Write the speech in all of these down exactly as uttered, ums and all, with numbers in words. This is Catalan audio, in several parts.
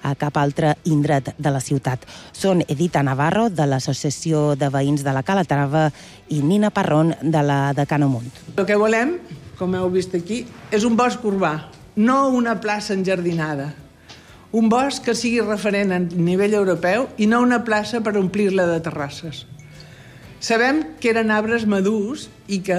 a cap altre indret de la ciutat. Són Edita Navarro, de l'Associació de Veïns de la Calatrava, i Nina Parrón, de la de Canomunt. El que volem, com heu vist aquí, és un bosc urbà, no una plaça enjardinada. Un bosc que sigui referent a nivell europeu i no una plaça per omplir-la de terrasses. Sabem que eren arbres madurs i que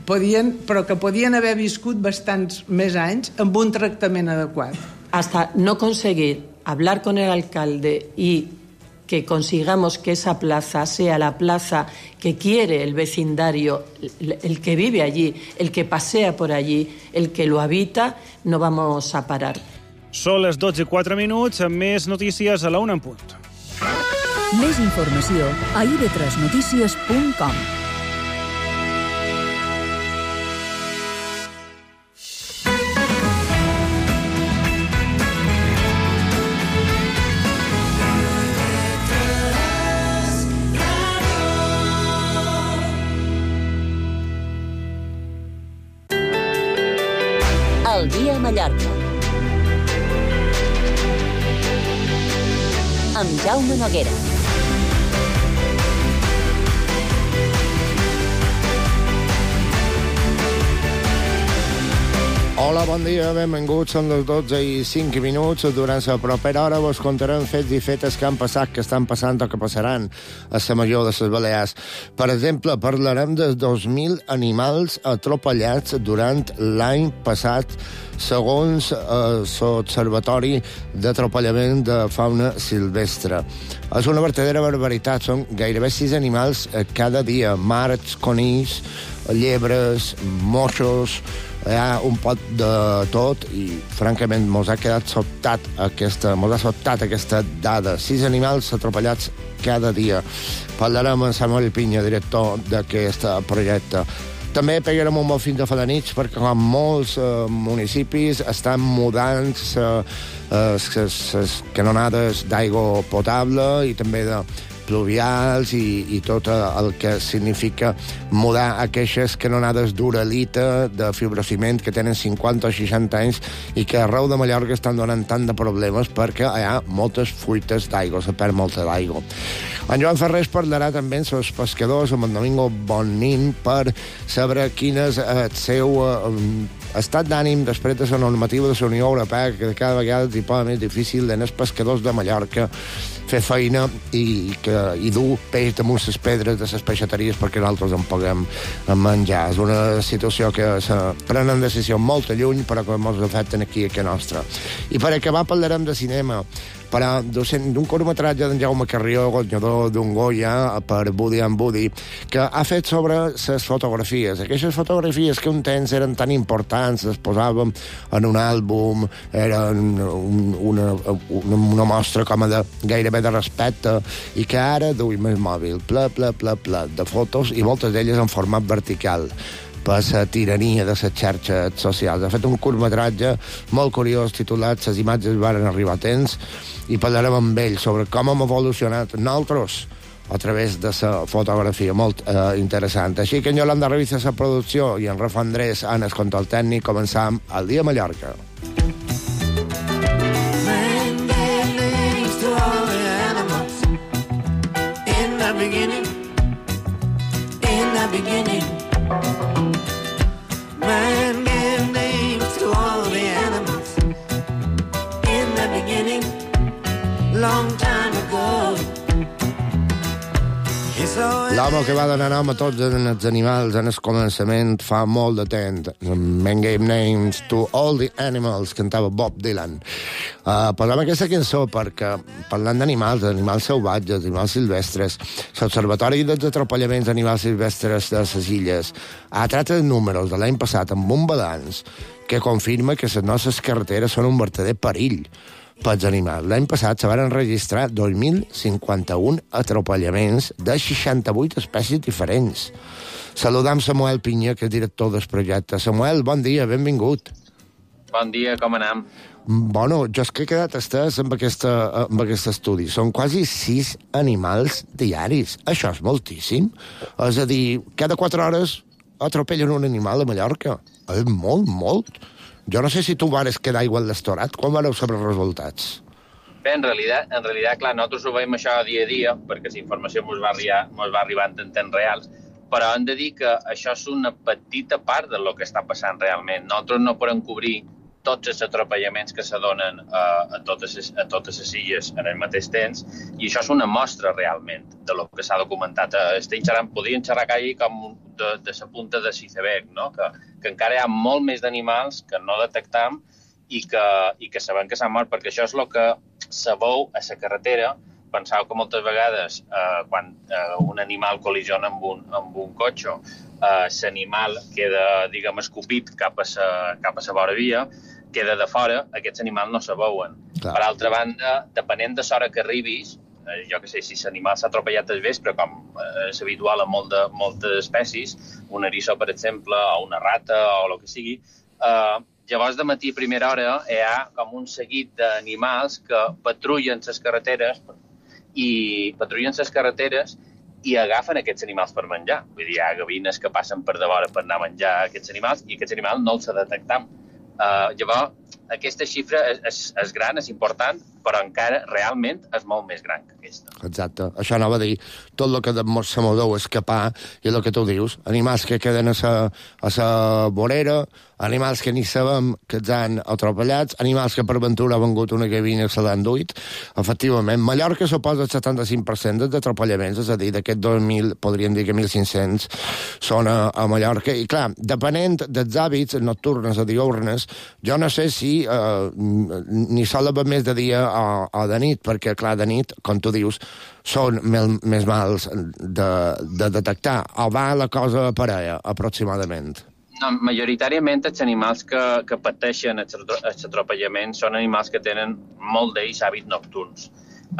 podien, però que podien haver viscut bastants més anys amb un tractament adequat. Hasta no conseguir hablar con el alcalde y que consigamos que esa plaza sea la plaza que quiere el vecindario, el que vive allí, el que pasea por allí, el que lo habita, no vamos a parar. Són les dotze i quatre minuts, amb més notícies a la una en punt. Més informació a i ve tres notícies punt com. El dia a Mallorca. Amb Jaume Noguera. Hola, bon dia, benvinguts. Són les dotze i cinc minuts. Durant la propera hora vos contarem fets i fetes que han passat, que estan passant o que passaran a la major de les Balears. Per exemple, parlarem de dos mil animals atropellats durant l'any passat, segons eh, l'Observatori d'Atropellament de Fauna Silvestre. És una vertadera barbaritat. Són gairebé sis animals eh, cada dia. Marts, conills, llebres, moixos. Hi ha un pot de tot i, francament, mos ha quedat sobtat aquesta, mos ha sobtat aquesta dada. Sis animals atropellats cada dia. Parlarem amb Samuel Pinya, director d'aquest projecte. També pegarem un bon fin de falanits perquè, com molts eh, municipis, estan mudant les canonades d'aigua potable i també de pluvials i, i tot el que significa mudar aquestes canonades d'uralita, de fibrociment, que tenen cinquanta o seixanta anys i que arreu de Mallorca estan donant tant de problemes perquè hi ha moltes fuites d'aigua, se perd molta d'aigua. En Joan Ferrés parlarà també amb els pescadors, amb en Domingo Bonin, per saber quin és el seu eh, estat d'ànim després de la normativa de la Unió Europea, que cada vegada és més difícil als pescadors de Mallorca fer feina i, que, i dur peix damunt les pedres de les peixateries perquè nosaltres en puguem menjar. És una situació que se prenen decisió molt lluny, però que ens afecten aquí a casa nostra. I per acabar parlarem de cinema, però d'un curtmetratge d'en Jaume Carrió, guanyador d'un Goya per Woody and Woody, que ha fet sobre les fotografies. Aquestes fotografies que un temps eren tan importants, les posàvem en un àlbum, eren un, una, una, una mostra com a de, gairebé de respecte, i que ara duim el mòbil, ple, ple, ple, ple de fotos, i moltes d'elles en format vertical, per la tirania de les xarxes socials. Ha fet un curtmetratge molt curiós titulat "Les imatges varen arribar a temps", i parlarem amb ell sobre com hem evolucionat nosaltres a través de la fotografia. Molt eh, interessant. Així que en Yolanda revisa la producció i en Rafa Andrés en el control tècnic. Començam el dia a Mallorca. L'home que va donar nom a tots els animals en el començament fa molt de temps. Men gave names to all the animals, cantava Bob Dylan. Uh, Posem aquesta cançó perquè, parlant d'animals, d'animals salvatges, d'animals silvestres, l'Observatori dels Atropellaments d'Animals Silvestres de les Illes ha tratat números de l'any passat amb un balanç que confirma que les nostres carreteres són un verdader perill pels animals. L'any passat se van registrar dos mil cinquanta-un atropellaments de seixanta-vuit espècies diferents. Saludam Samuel Pinya, que és director del projecte. Samuel, bon dia, benvingut. Bon dia, com anem? Bueno, jo és que he quedat estès amb, aquesta, amb aquest estudi. Són quasi sis animals diaris. Això és moltíssim. És a dir, cada quatre hores atropellen un animal a Mallorca. És molt, molt. Jo no sé si tu vares quedar igual d'estorat. Quan vareu saber els resultats? Bé, en realitat, en realitat, clar, nosaltres ho veiem això dia a dia, perquè la informació ens va, arribar, ens va arribant en temps reals, però hem de dir que això és una petita part del que està passant realment. Nosaltres no podem cobrir tots els atropellaments que se donen a, a, totes les, a totes les illes en el mateix temps, i això és una mostra realment de lo que s'ha documentat. Estem xerrant, podríem xerrar aquí com de, de la punta de l'iceberg, no? que, que encara hi ha molt més d'animals que no detectam i que, i que sabem que s'han mort, perquè això és el que se veu a la carretera. Penseu que moltes vegades eh, quan eh, un animal col·lisiona amb un, amb un cotxe, eh, l'animal queda, diguem, escopit cap a la cap a la vora via, queda de fora, aquests animals no se veuen. Clar. Per altra banda, depenent de l'hora que arribis, eh, jo que sé, si l'animal s'ha atropellat al vespre, com eh, és habitual a molt de, moltes espècies, un eriçó, per exemple, o una rata, o el que sigui, eh, llavors de matí a primera hora hi ha com un seguit d'animals que patrullen les carreteres i patrullen les carreteres i agafen aquests animals per menjar. Vull dir, hi ha gavines que passen per davora per anar a menjar aquests animals i aquests animals no els detectam. Uh, llavors, aquesta xifra és, és, és gran, és important, però encara realment és molt més gran que aquesta. Exacte. Això anava a dir, tot el que se m'ho escapar, i el que tu dius, animals que queden a sa, a sa vorera, animals que ni sabem que els han atropellats, animals que per ventura ha vengut una gavina i se l'han duit. Efectivament, Mallorca suposa el setanta-cinc per cent dels atropellaments, és a dir, d'aquest dos mil, podríem dir que mil cinc-cents són a, a Mallorca. I clar, depenent dels hàbits nocturnes o diurnes, jo no sé si eh, ni sol haver més de dia o, o de nit, perquè, clar, de nit, com tu dius, són mel, més mals de, de detectar. O va la cosa per allà, aproximadament? No, majoritàriament els animals que, que pateixen els atropellaments són animals que tenen molt d'ells hàbits nocturns.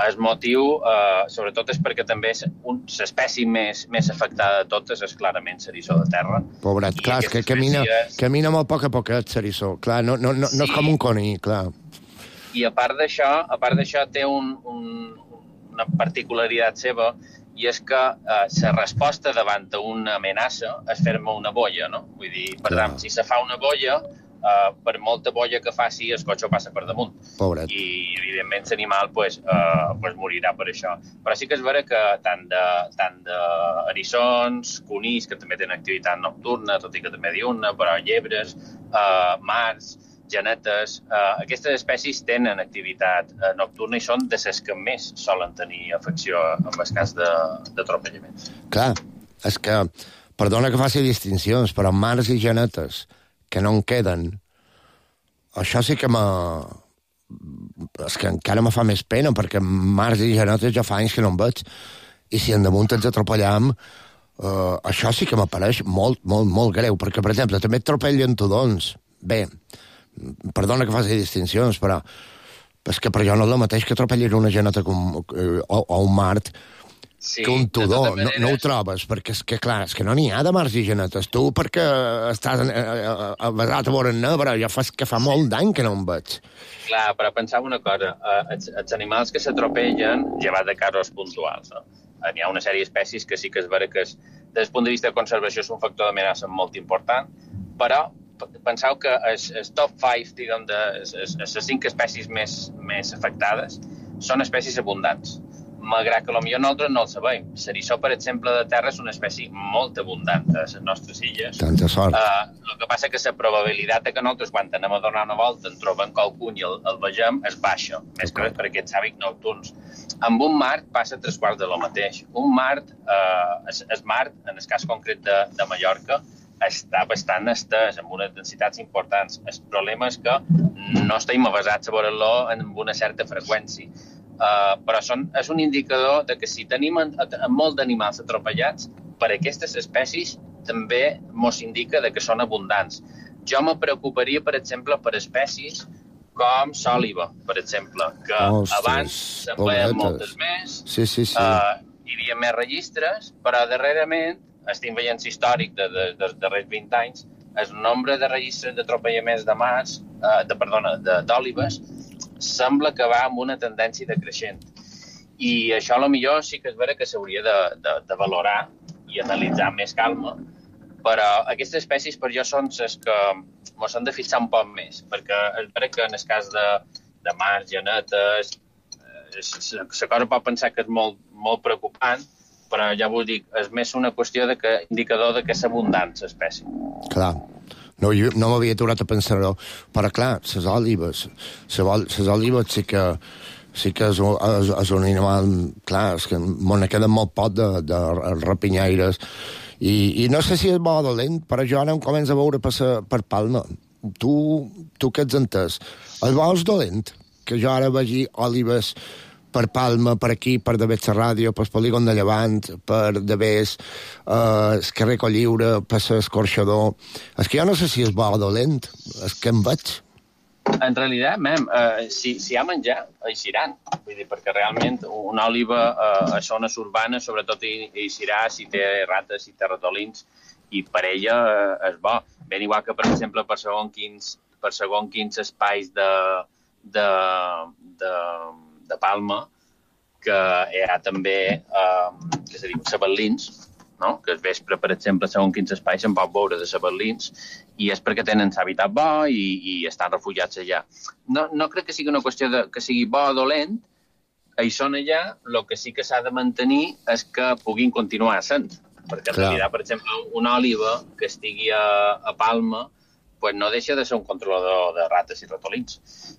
El motiu, eh, sobretot, és perquè també l'espècie més, més afectada de totes és clarament l'eriçó de terra. Pobret, clar, és que camina, espècies... camina molt poc a poquet, l'eriçó. Clar, no, no, no, sí. no és com un conill, clar. I a part d'això, a part d'això té un, un, una particularitat seva, i és que eh, la resposta davant d'una amenaça és fer-me una boia, no? Vull dir, per Clar. tant, si se fa una boia, eh, per molta boia que faci, el cotxe passa per damunt. Pobret. I, evidentment, l'animal pues, eh, pues morirà per això. Però sí que és vera que tant de, tant de eriçons, conills, que també tenen activitat nocturna, tot i que també diurna, però llebres, eh, mars, genetes, eh, aquestes espècies tenen activitat eh, nocturna i són de les que més solen tenir afecció en el cas d'atropellaments. Clar, és que, perdona que faci distincions, però mars i genetes que no en queden, això sí que me... és que encara me fa més pena, perquè mars i genetes ja fa anys que no en veig, i si en damunt ens atropellam, eh, això sí que m'apareix molt, molt, molt greu, perquè, per exemple, també atropellen tudons. Bé, perdona que faci distincions, però és que per jo no és el mateix que atropellir una geneta com, eh, o, o un mart sí, que un tudó. No, no ho trobes, perquè és que, clar, és que no n'hi ha de marts i genetes. Tu, perquè estàs basat a veure en negre, ja fas que fa molt d'any que no em veig. Clar, però pensava una cosa. Els, els animals que s'atropellen, llevat de casos puntuals, no? N'hi ha una sèrie d'espècies que sí que és vera que és, des del punt de vista de conservació és un factor d'amenaça molt important, però penseu que el, el top cinc, diguem, de les cinc espècies més, més afectades són espècies abundants, malgrat que potser nosaltres no el sabem. L'eriçó, per exemple, de terra és una espècie molt abundant a les nostres illes. Tanta sort. Uh, el que passa és que la probabilitat que nosaltres, quan anem a donar una volta, en trobem qualcun i el, el vegem, és baixa, més que res per aquests hàbits nocturns. Amb un mart passa tres quarts de lo mateix. Un mart, uh, el, el mart, en el cas concret de, de Mallorca, està bastant estès, amb unes densitats importants. El problema és que no estem avasats a veure-lo amb una certa freqüència. Uh, però són, és un indicador de que si tenim en, en molt d'animals atropellats, per aquestes espècies també ens indica de que són abundants. Jo me preocuparia, per exemple, per espècies com l'òliba, per exemple, que Ostres, abans se'n veien moltes més, sí, sí, sí. Uh, hi havia més registres, però darrerament estem veient històric de, de, dels darrers vint anys, el nombre de registres d'atropellaments de mars, eh, de, perdona, d'òlibes, sembla que va amb una tendència decreixent. I això, a lo millor, sí que és vera que s'hauria de, de, de valorar i analitzar amb més calma, però aquestes espècies per jo són les que ens hem de fixar un poc més, perquè és vera que en el cas de, de mars, genetes, la cosa pot pensar que és molt, molt preocupant, però ja vos dic, és més una qüestió de que, indicador de que és abundant l'espècie. Clar, no, no m'havia aturat a pensar-ho, però clar, les òlibes, les òlibes sí que, sí que és, és, és un animal, clar, és que m'ho queda molt poc de, de rapinyaires, i, i no sé si és bo o dolent, però jo ara em començo a veure per, per Palma. Tu, tu què ets entès? El bo és dolent, que jo ara vegi òlibes per Palma, per aquí, per Davés la ràdio, per Polígon de Llevant, per Davés, eh, el carrer Colliure, per l'escorxador. És que jo no sé si és bo o dolent, és que em veig. En realitat, mem, eh, si, si hi ha menjar, eixiran. Vull dir, perquè realment una òliba eh, a zones urbanes, sobretot eixirà si té rates, si té ratolins, i per ella eh, és bo. Ben igual que, per exemple, per segon quins, per segon quins espais de, de, de, de Palma, que hi ha també, eh, que se diu, sabatlins, no? Que es vespre, per exemple, segons quins espais se'n pot veure de sabatlins, i és perquè tenen l'hàbitat bo i, i estan refugiats allà. No, no crec que sigui una qüestió de, que sigui bo o dolent, ells són allà, el que sí que s'ha de mantenir és que puguin continuar sent, perquè en realitat, per exemple, una òliba que estigui a, a Palma, pues no deixa de ser un controlador de rates i ratolins.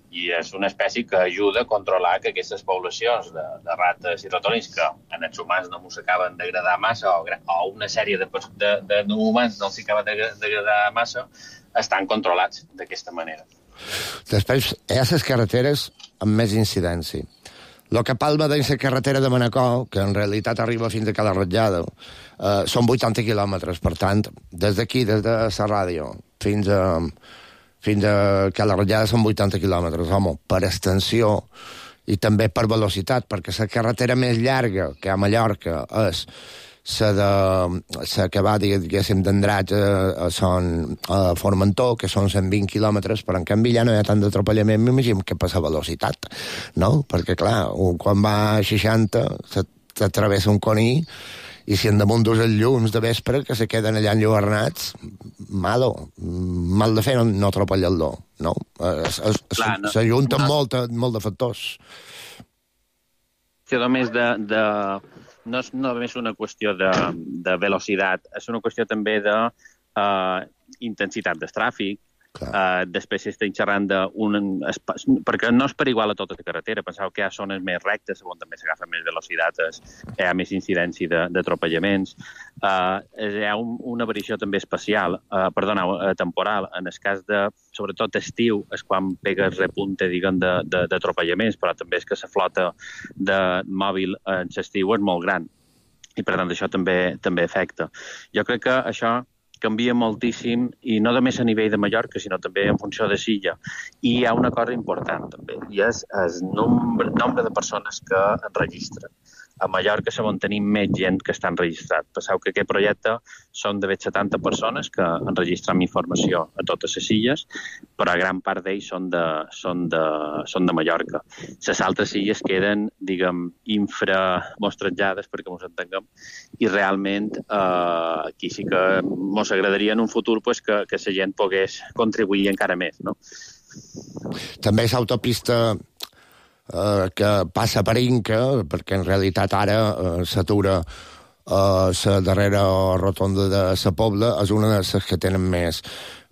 I és una espècie que ajuda a controlar que aquestes poblacions de, de rates i ratolins, que en els humans no ens acaben d'agradar massa, o, o una sèrie de, de, de no humans no els acaben d'agradar massa, estan controlats d'aquesta manera. Després, hi ha les carreteres amb més incidència. El que Palma de la carretera de Manacor, que en realitat arriba fins a Cala Ratjada, eh, són vuitanta quilòmetres. Per tant, des d'aquí, des de la ràdio, fins a, fins a Cala Ratjada són vuitanta quilòmetres. Home, per extensió i també per velocitat, perquè la carretera més llarga que a Mallorca és la de la que va, diguéssim, d'Andratx a, a, a Formentor, que són cent vint quilòmetres, però en canvi ja no hi ha tant d'atropellament, m'imagino que per la velocitat, no? Perquè, clar, quan va a seixanta s'atravessa un coní, i si en damunt dus els llums de vespre que se queden allà enlluernats, malo, mal de fer no, no atropellar-lo, no? S'ajunten no. molt, molt de factors. Que només de... de... No és només una qüestió de, de velocitat, és una qüestió també de uh, intensitat del tràfic. Uh, després s'estan xerrant d'un... Perquè no és per igual a tota la carretera. Penseu que hi ha zones més rectes on també s'agafa més velocitat, hi ha més incidència d'atropellaments. Uh, hi ha un, una variació també espacial, uh, perdona, uh, temporal. En el cas de, sobretot estiu, és quan pega el repunte, diguem, d'atropellaments, però també és que la flota de mòbil en l'estiu és molt gran. I, per tant, això també, també afecta. Jo crec que això canvia moltíssim, i no només a nivell de Mallorca, sinó també en funció de Silla. I hi ha una cosa important, també, i és el nombre, nombre de persones que enregistren. A Mallorca sabem tenim més gent que està enregistrat. Penseu que aquest projecte són de setanta persones que enregistram informació a totes les illes, però gran part d'ells són de, són de, són de Mallorca. Les altres illes queden, diguem, inframostrejades, perquè ens entenguem, i realment eh, aquí sí que ens agradaria en un futur pues, que, que la gent pogués contribuir encara més, no? També l'autopista Uh, que passa per Inca, perquè en realitat ara uh, s'atura uh, la darrera rotonda de la Pobla, és una de les que tenen més,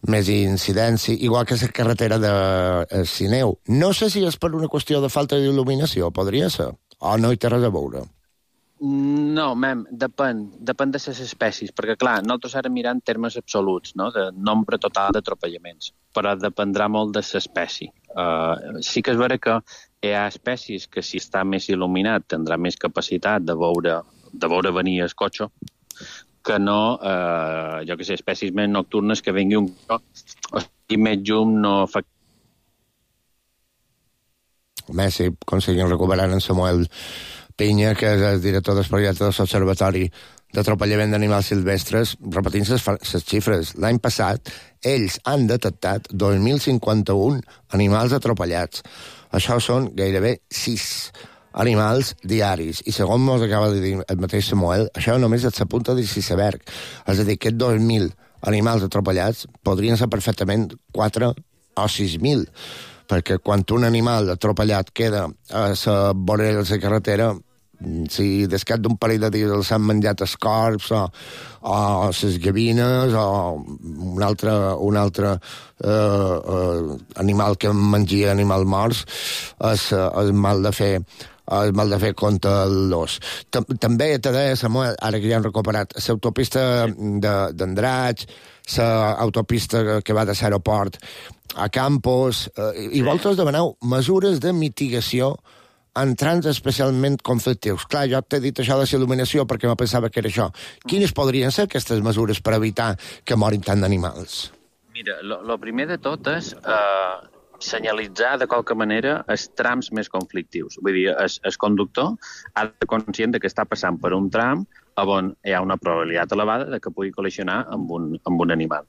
més incidència, igual que la carretera de uh, Sineu. No sé si és per una qüestió de falta d'il·luminació, podria ser, o no hi té res a veure. No, mem, depèn, depèn de les espècies, perquè clar, nosaltres ara mirant termes absoluts, no?, de nombre total d'atropellaments, però dependrà molt de l'espècie. Uh, sí que és vera que hi ha espècies que si està més il·luminat tindrà més capacitat de veure, de veure venir el cotxe, que no, eh, jo que sé, espècies més nocturnes que vingui un cotxe, o sigui, més llum no fa... Home, si aconseguim recuperar en Samuel Pinya, que és el director del projecte de l'Observatori d'Atropellament d'Animals Silvestres, repetint les xifres. L'any passat, ells han detectat dos mil cinquanta-un animals atropellats. Això són gairebé sis animals diaris. I segons ens acaba de dir el mateix Samuel, això només és la punta de l'iceberg. És a dir, que dos mil animals atropellats podrien ser perfectament quatre o sis mil. perquè quan un animal atropellat queda a la vorera de la carretera, si descat d'un parell de dies s'han menjat els corps o, o les gavines o un altre, un altre eh, eh, animal que mengia animals morts, és, és mal de fer el mal de fer contra l'os. També te deia, Samuel, ara que ja han recuperat, l'autopista d'Andratx, l'autopista que va de l'aeroport a Campos, eh, i vosaltres demaneu mesures de mitigació en trams especialment conflictius. Clar, jo t'he dit això de la il·luminació perquè me pensava que era això. Quines podrien ser aquestes mesures per evitar que morin tant d'animals? Mira, el primer de tot és eh, senyalitzar de qualque manera els trams més conflictius. Vull dir, el, el conductor ha de ser conscient que està passant per un tram on hi ha una probabilitat elevada de que pugui col·lisionar amb un, amb un animal.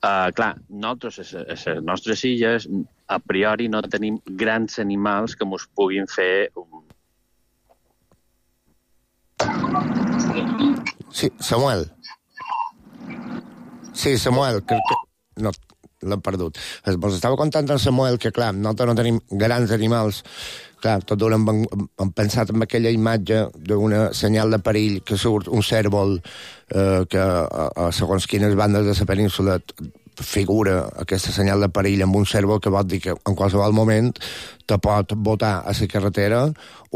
Uh, clar, nosaltres, a les nostres illes, a priori no tenim grans animals que mos puguin fer... Sí, Samuel. Sí, Samuel, crec que... No, l'hem perdut. Vos estava contant en Samuel que, clar, nosaltres no tenim grans animals. Clar, tot d'una hem, hem pensat en aquella imatge d'una senyal de perill que surt un cèrvol eh, que a, a segons quines bandes de la península figura aquesta senyal de perill amb un cèrvol que vol dir que en qualsevol moment te pot botar a la carretera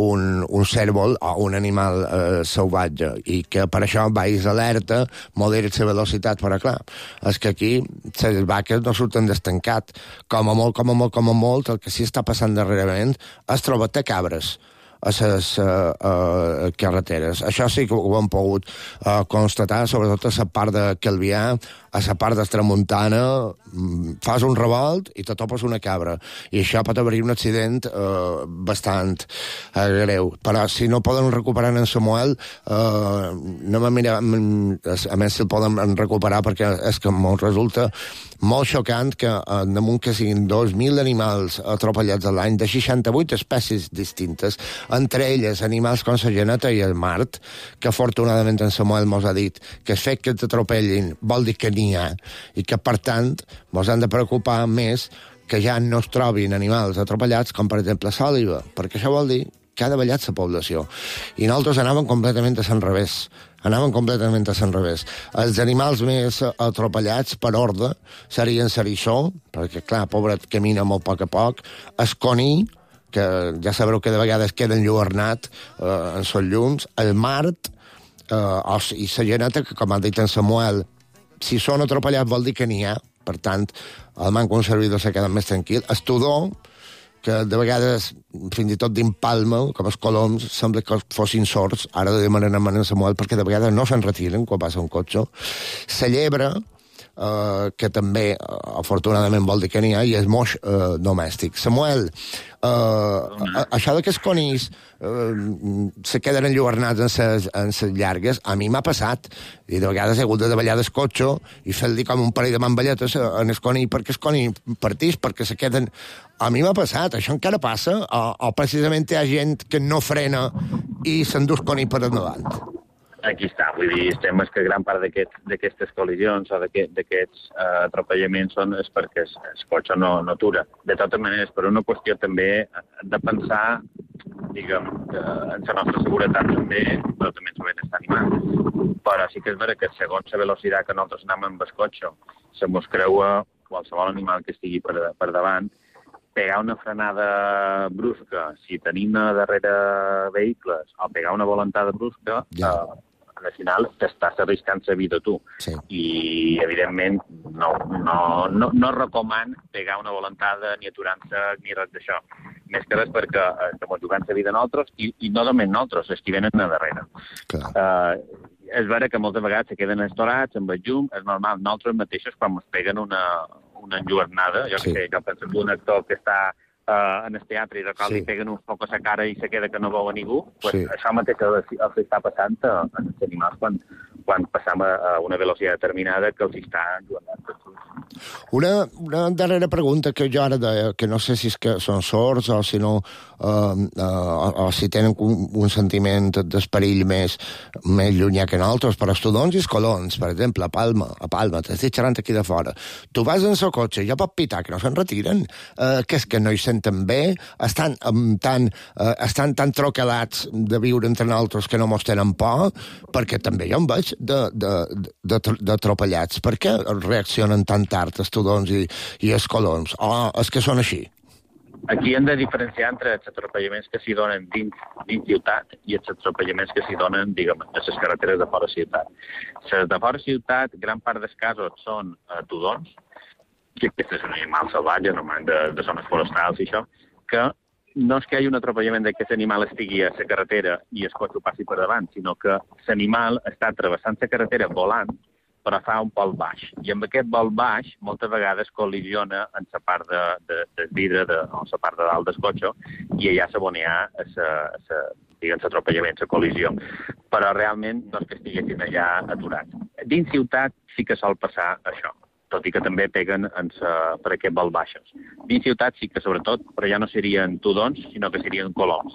un, un cèrvol o un animal eh, salvatge i que per això vais alerta, moderis la velocitat, però clar, és que aquí les vaques no surten destancat. Com a molt, com a molt, com a molt, el que sí està passant darrerament és trobar-te cabres a les uh, uh, carreteres. Això sí que ho hem pogut uh, constatar, sobretot a la part de Calvià, a la part de Tramuntana, fas un revolt i te topes una cabra. I això pot haver-hi un accident uh, bastant uh, greu. Però si no poden recuperar en Samuel, uh, no me mira, a més si el poden recuperar perquè és que em resulta molt xocant que uh, damunt que siguin dos mil animals atropellats a l'any de seixanta-vuit espècies distintes, entre elles animals com la geneta i el mart, que afortunadament en Samuel mos ha dit que el fet que t'atropellin vol dir que n'hi ha, i que per tant mos han de preocupar més que ja no es trobin animals atropellats com per exemple l'òliba, perquè això vol dir que ha davallat la població. I nosaltres anàvem completament a l'enrevés. Anàvem completament a l'enrevés. Els animals més atropellats per ordre serien l'eriçó, perquè clar, pobret, camina molt a poc a poc, el coní, que ja sabreu que de vegades queda enlluernat eh, en els llums, el mart eh, o, i la geneta, que com ha dit en Samuel, si són atropellats vol dir que n'hi ha, per tant, el manco un servidor s'ha quedat més tranquil. El tudó, que de vegades, fins i tot d'impalma, com els coloms, sembla que fossin sords, ara de demanar a Samuel, perquè de vegades no se'n retiren quan passa un cotxe. La llebre, Uh, que també, uh, afortunadament, vol dir que n'hi ha, i és moix uh, domèstic. Samuel, uh, això de que els conills uh, se queden enlluernats en ses, en ses llargues, a mi m'ha passat, i de vegades he hagut de davallar del cotxe i fer-li com un parell de mamballetes en el conill perquè el conill partís, perquè se queden... A mi m'ha passat, això encara passa, o, o precisament hi ha gent que no frena i s'endús conill per endavant. Aquí està, vull dir, estem és que gran part d'aquestes col·lisions o d'aquests uh, atropellaments són és perquè el, el cotxe no, no atura. De totes maneres, per una qüestió també de pensar, diguem, en la nostra seguretat també, però també en el benestar animal. Però sí que és vera que segons la velocitat que nosaltres anem amb el cotxe, se mos creua qualsevol animal que estigui per, per davant, pegar una frenada brusca, si tenim darrere vehicles, o pegar una volantada brusca, ja. eh, al final t'estàs arriscant la vida tu. Sí. I, evidentment, no, no, no, no recoman pegar una volantada ni aturar-se ni res d'això. Més que res perquè eh, estem jugant la vida nosaltres i, i no només nosaltres, els que venen a darrere. Uh, és vera que moltes vegades se queden estorats amb el llum, és normal. Nosaltres mateixos, quan ens peguen una, una enlluernada, jo sí. que sé, jo penso que un actor que està uh, en el teatre i de cop sí. li peguen un foc a la cara i se queda que no veu a ningú, pues sí. això mateix els, els està passant a, a els animals quan, quan passam a, a una velocitat determinada que els està enlluernant. Una, una darrera pregunta que jo ara deia, que no sé si és que són sords o si no, eh, eh, o, o si tenen un, un sentiment d'esperill més, més llunyà que nosaltres, però els tudons i els colons, per exemple, a Palma, a Palma, t'estic xerrant aquí de fora, tu vas en el cotxe, ja pot pitar, que no se'n retiren, eh, que és que no hi senten bé, estan, um, tan, eh, estan tan troquelats de viure entre nosaltres que no mos tenen por, perquè també jo em veig d'atropellats. Per què reaccionen tan tard els tudons i, i els colons? O és que són així? Aquí hem de diferenciar entre els atropellaments que s'hi donen dins, dins ciutat i els atropellaments que s'hi donen, diguem, a les carreteres de fora ciutat. Les de fora ciutat, gran part dels casos són uh, tudons, que aquests són animals salvatges, normalment de, de zones forestals i això, que no és que hi hagi un atropellament de que l'animal estigui a la carretera i el cotxe passi per davant, sinó que l'animal està travessant la carretera volant, però fa un pol baix. I amb aquest vol baix, moltes vegades col·lisiona en la part de, de, del vidre, de, o la part de dalt del cotxe, i allà s'abonea l'atropellament, la col·lisió. Però realment no és que estiguessin allà aturats. Dins ciutat sí que sol passar això, tot i que també peguen en sa, per aquest vol baixos. Dins ciutat sí que, sobretot, però ja no serien tudons, sinó que serien coloms.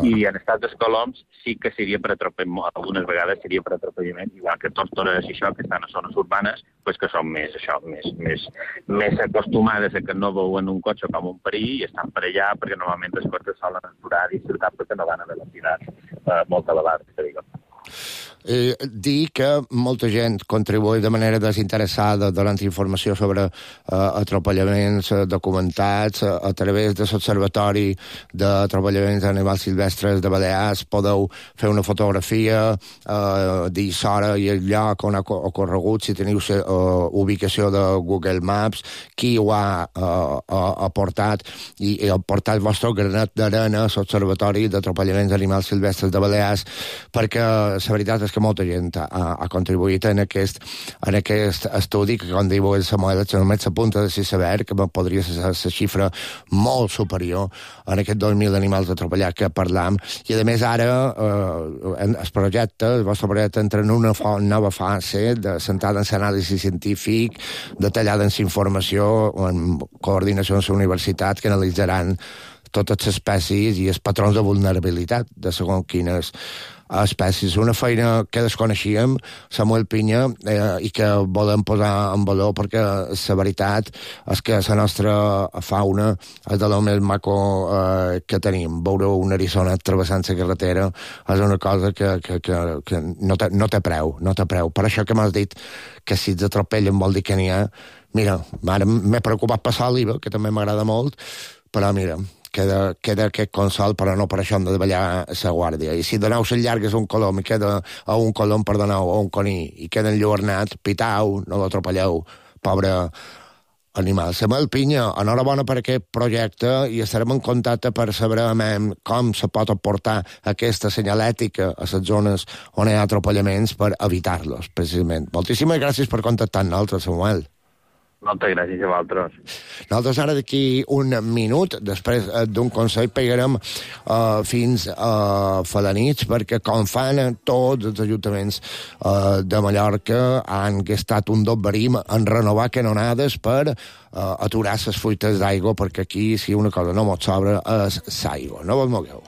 I en estat dels coloms sí que seria per atropellament, algunes vegades seria per atropellament, igual que tórtores i això, que estan a zones urbanes, pues que són més, això, més, més, més acostumades a que no veuen un cotxe com un perill i estan per allà, perquè normalment els cotxes solen aturar dins ciutat perquè no van a velocitats eh, molt elevades, que diguem. Eh, dir que molta gent contribuï de manera desinteressada donant informació sobre eh, atropellaments eh, documentats eh, a través de l'Observatori d'Atropellaments d'Animals Silvestres de Balears. Podeu fer una fotografia, eh, dir l'hora i el lloc on ha ocorregut, si teniu la uh, ubicació de Google Maps, qui ho ha uh, aportat i, i ha portat el vostre granet d'arena a l'Observatori d'Atropellaments d'Animals Silvestres de Balears, perquè la veritat és que molta gent ha, ha contribuït en aquest, en aquest estudi, que, com diu el Samuel, només s'apunta de saber que podria ser la xifra molt superior en aquests dos mil animals atropellats que parlam. I, a més, ara eh, el projecte, el vostre projecte, entra en una nova fase de centrada en l'anàlisi científic, detallada en la informació, en coordinació amb la universitat, que analitzaran totes les espècies i els patrons de vulnerabilitat de segons quines espècies. Una feina que desconeixíem, Samuel Pinya, eh, i que volem posar en valor perquè la veritat és que la nostra fauna és de lo més maco eh, que tenim. Veure un eriçonet travessant la carretera és una cosa que, que, que, que no, té, no té preu, no té preu. Per això que m'has dit que si els atropellen vol dir que n'hi ha. Mira, ara m'he preocupat per l'oliva, que també m'agrada molt, però mira, queda, queda aquest consol, però no per això hem de davallar la guàrdia. I si doneu les llargues a un colom i queda a un colom, perdoneu, a un coní, i queda enlluernat, pitau, no l'atropelleu, pobre animal. Samuel Pinya, enhorabona per aquest projecte i estarem en contacte per saber com se pot aportar aquesta senyalètica a les zones on hi ha atropellaments per evitar-los, precisament. Moltíssimes gràcies per contactar amb nosaltres, Samuel. Moltes gràcies a vosaltres. Nosaltres ara d'aquí un minut, després d'un consell, pegarem uh, fins a uh, Felanits, perquè com fan tots els ajuntaments uh, de Mallorca, han gastat un dobberim en renovar canonades per uh, aturar les fuites d'aigua, perquè aquí, si una cosa no mos sobra, és l'aigua. No vos mogueu.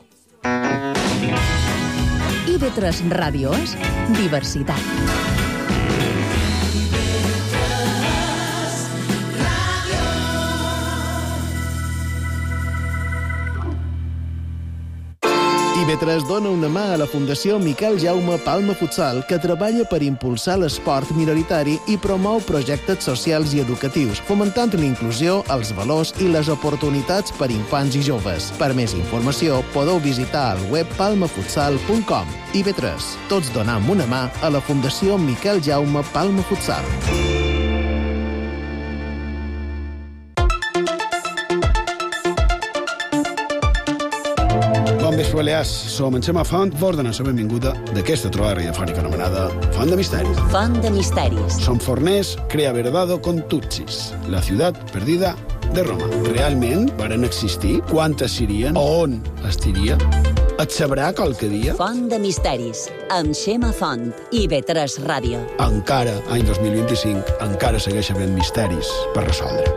I ve tres Ràdio és diversitat. I ve tres dona una mà a la Fundació Miquel Jaume Palma Futsal, que treballa per impulsar l'esport minoritari i promou projectes socials i educatius, fomentant la inclusió, els valors i les oportunitats per infants i joves. Per més informació, podeu visitar el web palma futsal punt com. I ve tres, tots donam una mà a la Fundació Miquel Jaume Palma Futsal. Bon vespre, Balears. Som en Xema Font, vos donem la benvinguda d'aquesta trobada radiofònica anomenada Font de Misteris. Font de Misteris. Som forners, crea verdado con Tutsis, la ciutat perdida de Roma. Realment varen existir? Quantes serien? On estiria? Et sabrà qualque dia? Font de misteris, amb Xema Font i B tres Ràdio. Encara, any dos mil vint-i-cinc, encara segueix havent misteris per resoldre.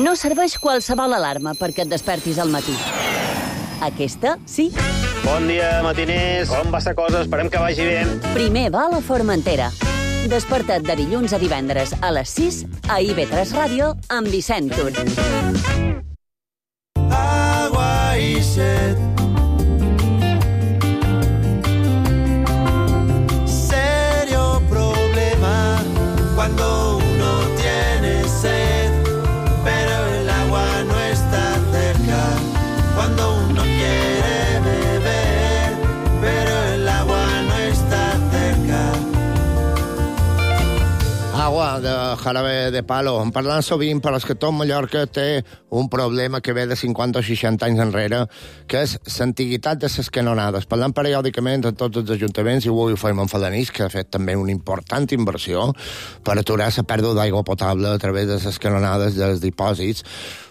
No serveix qualsevol alarma perquè et despertis al matí. Aquesta, sí. Bon dia, matiners. Com va la cosa? Esperem que vagi bé. Primer va a la Formentera. Desperta't de dilluns a divendres a les sis a I V tres Ràdio amb Vicent Tur. Agua y sed. Serio problema cuando uno tiene sed, pero el agua no está cerca. Cuando uno quiere beber, pero el agua no está cerca. Agua de jarabe de palo. En parlant sovint, però és que tot Mallorca té un problema que ve de cinquanta o seixanta anys enrere, que és l'antiguitat de les canonades. Parlant periòdicament a tots els ajuntaments, i avui ho fem en Felanís, que ha fet també una important inversió per aturar la pèrdua d'aigua potable a través de les canonades dels dipòsits,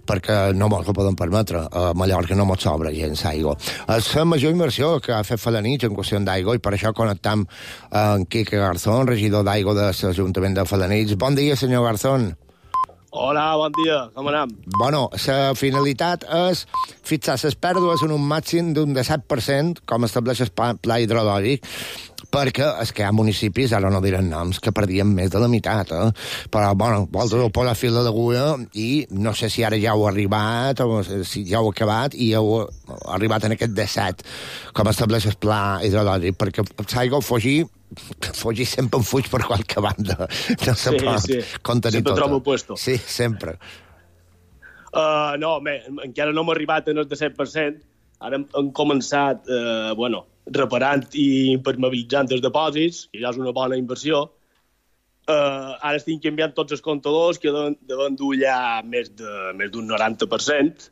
perquè no mos ho poden permetre. A Mallorca no mos sobra gens aigua. És la major inversió que ha fet Felanitx en qüestió d'aigua, i per això connectam amb Quique Garzón, regidor d'aigua de l'Ajuntament de Felanitx. Bon dia, senyor Garzón. Hola, bon dia. Com anem? Bueno, la finalitat és fixar les pèrdues en un màxim d'un disset per cent, com estableix el pla hidrològic, perquè és que hi ha municipis, ara no diran noms, que perdien més de la meitat, eh? Però, bueno, vosaltres ho posar fil de l'agulla i no sé si ara ja heu arribat o si ja heu acabat i heu arribat en aquest disset, com estableix el pla hidrològic, perquè l'aigua fugir fugir sempre en fuig per qualque banda. No se sí, pot sí. contenir sempre tot. trobo puesto. Sí, sempre. Uh, no, bé, encara no hem arribat en el disset per cent. Ara hem, hem començat, eh, bueno, reparant i impermeabilitzant els dipòsits, que ja és una bona inversió. Uh, ara estic canviant tots els comptadors, que deuen, deuen dur ja més de més d'un noranta per cent.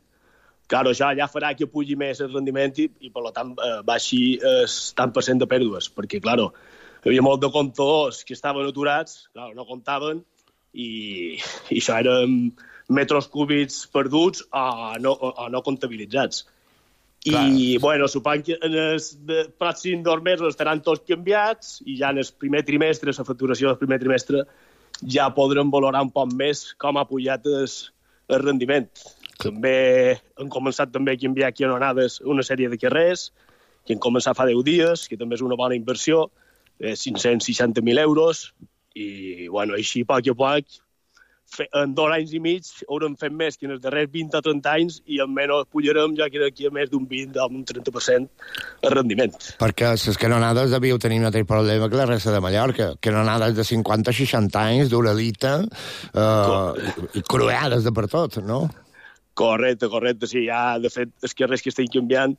Claro, això ja farà que pugi més el rendiment i, i per tant, eh, baixi el tant per cent de pèrdues, perquè, claro, hi havia molt de comptadors que estaven aturats, claro, no comptaven, i, i això eren metres cúbics perduts o no, o no comptabilitzats. I, clar, bueno, suponc que en els pròxims dos mesos estaran tots canviats i ja en el primer trimestre, la facturació del primer trimestre, ja podrem valorar un poc més com ha pujat el, el rendiment. També hem començat també a canviar aquí a Onades una sèrie de carrers, que hem començat fa deu dies, que també és una bona inversió, de cinc-cents seixanta mil euros, i, bueno, així, a poc a poc, en dos anys i mig haurem fet més que en els darrers vint o trenta anys i almenys pujarem, ja crec que a més d'un vint o un trenta per cent el rendiment. Perquè les canonades devíeu tenir un altre problema que la resta de Mallorca. Canonades de cinquanta o seixanta anys, d'Uralita, eh, i cruades de per tot, no? Correcte, correcte, sí. Ja, de fet, els carrers que estem canviant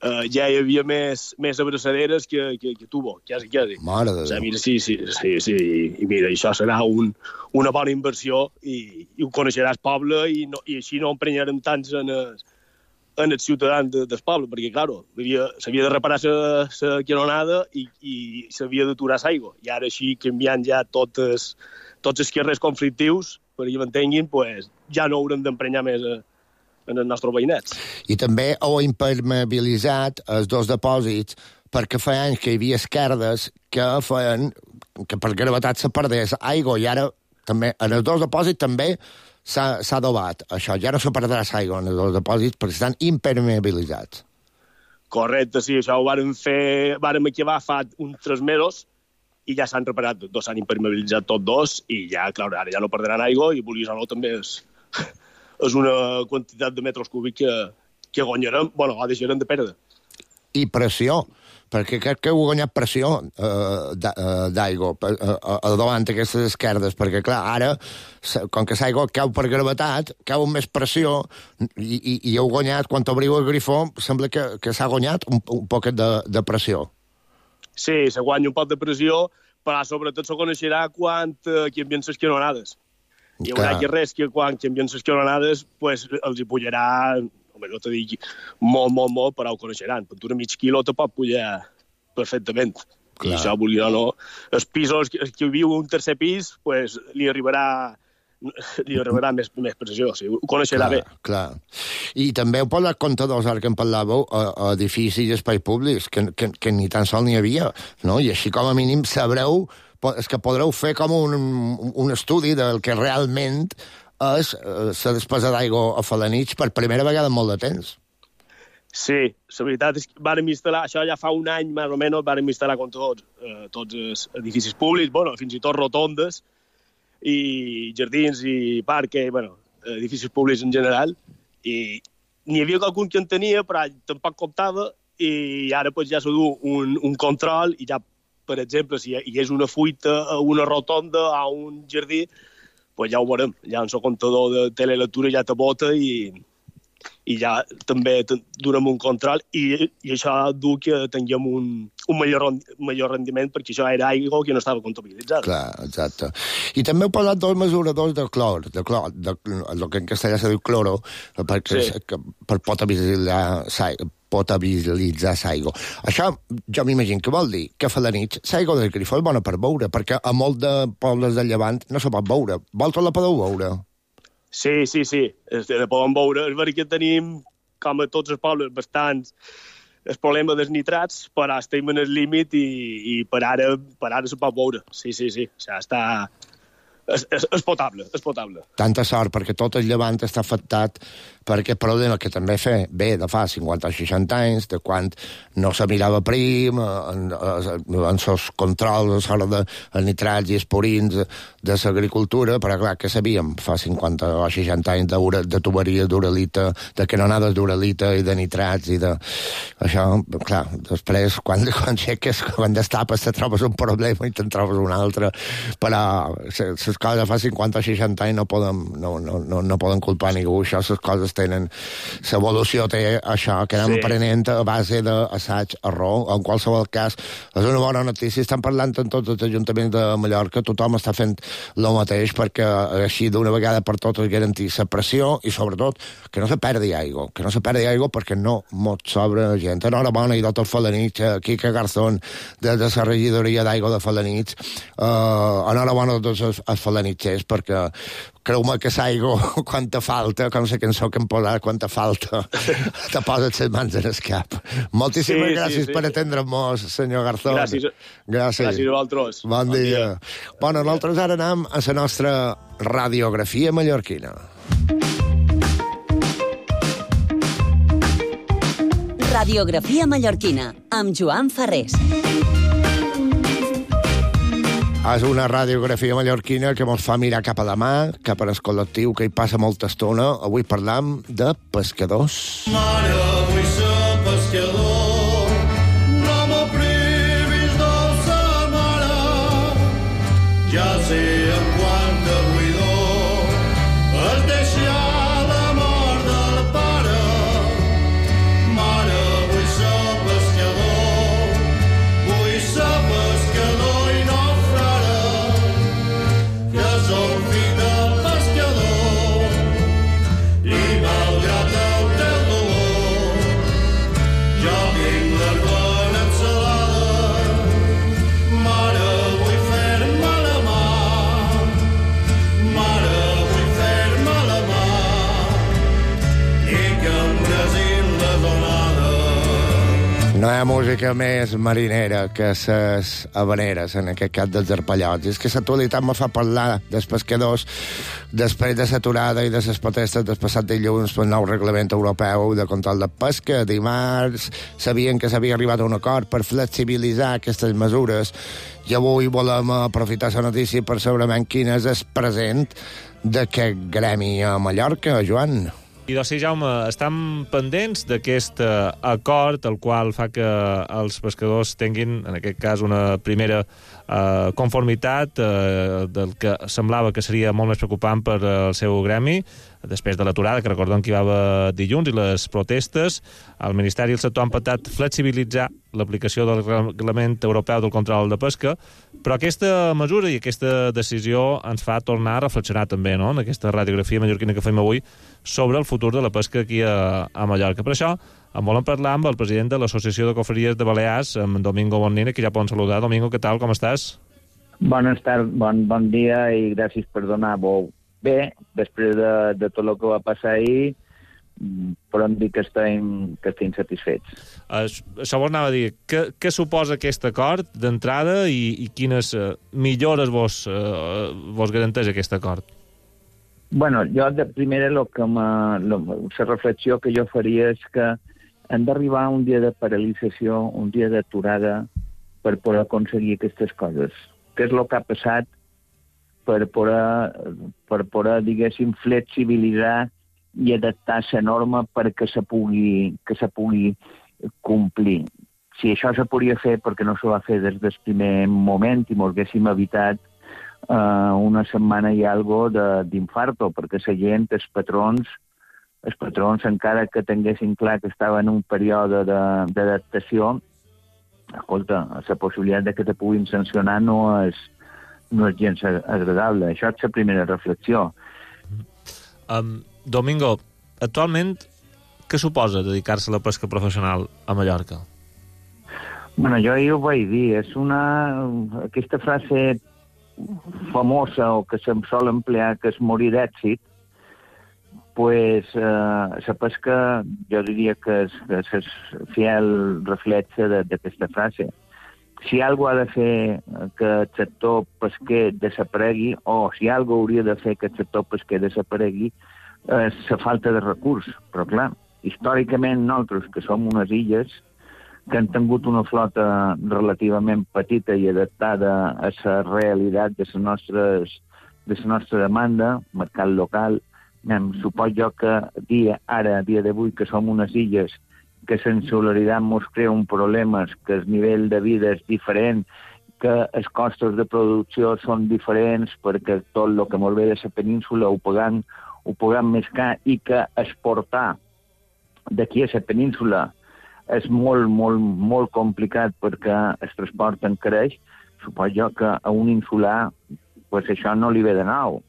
uh, ja hi havia més, més abraçaderes que, que, que tubo, quasi, quasi. Mare de Déu. O sigui, mira, sí, sí, sí, sí, i mira, això serà un, una bona inversió i, i ho coneixeràs poble i, no, i així no emprenyarem tants en els, en els ciutadans de, del poble, perquè, clar, s'havia de reparar la canonada i, i s'havia d'aturar l'aigua. I ara així, canviant ja totes, tots els carrers conflictius, perquè m'entenguin, pues, ja no haurem d'emprenyar més a, en els nostres veïnats. I també heu impermeabilitzat els dos dipòsits perquè fa anys que hi havia esquerdes que feien que per gravetat se perdés aigua i ara també en els dos dipòsits també s'ha adobat això. Ja no se perdrà aigua en els dos dipòsits perquè estan impermeabilitzats. Correcte, sí, això ho vàrem fer, vàrem acabar fa uns tres mesos i ja s'han reparat tots, s'han impermeabilitzat tots dos i ja, clar, ara ja no perdran aigua i vulguis o no també és... és una quantitat de metres cúbics que, que guanyarem, bueno, o deixarem de perdre. I pressió, perquè crec que heu guanyat pressió eh, d'aigua eh, al davant d'aquestes esquerdes, perquè, clar, ara, com que l'aigua cau per gravetat, cau amb més pressió, i, i, i heu guanyat, quan obriu el grifó, sembla que, que s'ha guanyat un, un poquet de, de pressió. Sí, se guanya un poc de pressió, però sobretot se coneixerà quan eh, canvien les canonades. Hi haurà que res que quan canvien les canonades pues, els hi pujarà, home, no te dic molt, molt, molt, però ho coneixeran. Per un mig quilo te pot pujar perfectament. Clar. I això, volia o no, els pisos, el que viu un tercer pis, pues, li arribarà li arribarà més, més pressió, sí, ho coneixerà clar, bé. Clar. I també heu posat comptadors, ara que en parlàveu, a, a edificis i espais públics, que, que, que ni tan sol n'hi havia, no? I així com a mínim sabreu, és que podreu fer com un, un estudi del que realment és la despesa d'aigua a Felanitx per primera vegada en molt de temps. Sí, la veritat és que vàrem instal·lar, això ja fa un any més o menys, vàrem instal·lar com tots, eh, tots els edificis públics, bueno, fins i tot rotondes, i jardins i parques, bueno, edificis públics en general, i n'hi havia qualcun que en tenia, però tampoc comptava, i ara pues, ja s'ha du un, un control, i ja, per exemple, si hi és una fuita a una rotonda o a un jardí, pues ja ho veurem, ja en el comptador de telelectura ja te bota i... i ja també donem un control i, i això du que tinguem un, un major, major rendiment perquè això era aigua que no estava comptabilitzada. Clar, exacte. I també heu parlat dels mesuradors de clor, de clor, de, el que en castellà se diu cloro, perquè, sí. que, per potabilitzar potabilitzar l'aigua. Això jo m'imagino que vol dir que a Felanitx l'aigua del grifo és bona per beure, perquè a molts de pobles del Llevant no se pot beure. Vosaltres la podeu beure? Sí, sí, sí, la podem veure. És veritat que tenim, com a tots els pobles, bastants el problema dels nitrats, però estem en el límit i, i per ara per ara se pot veure. Sí, sí, sí. O sigui, està... És, és, és potable, és potable. Tanta sort, perquè tot el Llevant està afectat per aquest problema que també fe bé de fa cinquanta o seixanta anys, de quan no se mirava prim, en, en els controls a l'hora de nitrats i espurins de l'agricultura, però clar, que sabíem fa cinquanta o seixanta anys de, de tuberia d'uralita, de canonades d'uralita i de nitrats i de... Això, clar, després, quan, quan xeques, quan destapes, te trobes un problema i te'n trobes un altre, però les coses fa cinquanta o seixanta anys no poden, no, no, no, no poden culpar ningú, això, les coses tenen... L'evolució té això, que anem sí. aprenent a base d'assaig, error. En qualsevol cas, és una bona notícia. Estan parlant en tots els ajuntaments de Mallorca, tothom està fent el mateix perquè així d'una vegada per totes garantir la pressió i, sobretot, que no se perdi aigua. Que no se perdi aigua perquè no mos sobra gent. Enhorabona i doctor Felanitx, Quique Garzón, de, de la regidoria d'aigua de Felanitx. Uh, enhorabona a tots els, els felanitxers perquè creu-me que l'aigua, quan te falta, com la cançó que em posarà, quan te falta, te poses les mans en el cap. Moltíssimes sí, gràcies sí, sí. per atendre'm-nos, senyor Garzón. Gràcies. Gràcies. Gràcies a vosaltres. Bon, bon dia. dia. Bueno, nosaltres ara anem a la nostra radiografia mallorquina. Radiografia mallorquina, amb Joan Ferrés. És una radiografia mallorquina que ens fa mirar cap a la mà, cap al col·lectiu que hi passa molta estona. Avui parlam de pescadors. Mare, vull ser pescador, no m'ho privis, dolça mare, ja sé en quanta buidor es deixa la mort del pare. Mare, vull ser pescador, vull ser pescador i no som fill del pescador i malgrat el teu dolor jo tinc l'argona ensalada. Mare, vull fer-me la mà, mare, vull fer-me la mà i que em brasin les onades. No hi ha música més marinera que les habaneres, en aquest cas dels arpallots. I és que l'actualitat me fa parlar dels pescadors després de l'aturada i de les protestes del passat dilluns pel nou reglament europeu de control de pesca. Dimarts sabien que s'havia arribat a un acord per flexibilitzar aquestes mesures i avui volem aprofitar la notícia per saber quin és el present d'aquest gremi a Mallorca, Joan. I doncs sí, Jaume, estan pendents d'aquest acord, el qual fa que els pescadors tinguin, en aquest cas, una primera eh, conformitat eh, del que semblava que seria molt més preocupant per al seu gremi, després de l'aturada, que recordem que hi va haver dilluns, i les protestes. El Ministeri i el sector han patat flexibilitzar l'aplicació del reglament europeu del control de pesca, però aquesta mesura i aquesta decisió ens fa tornar a reflexionar també, no?, en aquesta radiografia mallorquina que fem avui, sobre el futur de la pesca aquí a, a Mallorca. Per això en volem parlar amb el president de l'Associació de Cofreries de Balears, amb Domingo Bonina, que ja poden saludar. Domingo, què tal, com estàs? Bones tardes, bon, bon dia i gràcies per donar veu bé, després de, de tot el que va passar ahir, podem dir que estem, que estem satisfets. Uh, això vos anava a dir, què, què suposa aquest acord d'entrada i, i quines uh, millores vos, uh, vos garanteix aquest acord? Bueno, jo de primera lo que la reflexió que jo faria és que hem d'arribar a un dia de paralització, un dia d'aturada per poder aconseguir aquestes coses. Què és el que ha passat per poder, per poder diguéssim, flexibilitzar i adaptar la norma perquè se pugui, que se pugui complir. Si això se podria fer, perquè no se va fer des del primer moment i ens haguéssim evitat uh, una setmana i algo d'infarto, perquè la gent, els patrons, els patrons, encara que tinguessin clar que estava en un període d'adaptació, escolta, la possibilitat de que te puguin sancionar no és, no és gens agradable. Això és la primera reflexió. Um, Domingo, actualment, què suposa dedicar-se a la pesca professional a Mallorca? Bueno, jo ahir ho vaig dir, és una... aquesta frase famosa o que se'm sol emplear, que és morir d'èxit, pues eh, la pesca jo diria que és, que és fiel reflexe d'aquesta frase. Si algú ha de fer que el sector pesquer desaparegui, o si algú hauria de fer que el sector pesquer desaparegui, és la falta de recurs. Però, clar, històricament nosaltres, que som unes illes, que han tingut una flota relativament petita i adaptada a la realitat de la nostres, de la nostra demanda, mercat local, em suposo jo que dia, ara, a dia d'avui, que som unes illes que la insularitat ens crea un problema, que el nivell de vida és diferent, que els costos de producció són diferents perquè tot el que ens ve de la península ho pagant, ho pagant més car i que exportar d'aquí a la península és molt, molt, molt complicat perquè el transport encareix. Suposo jo que a un insular pues això no li ve de nou.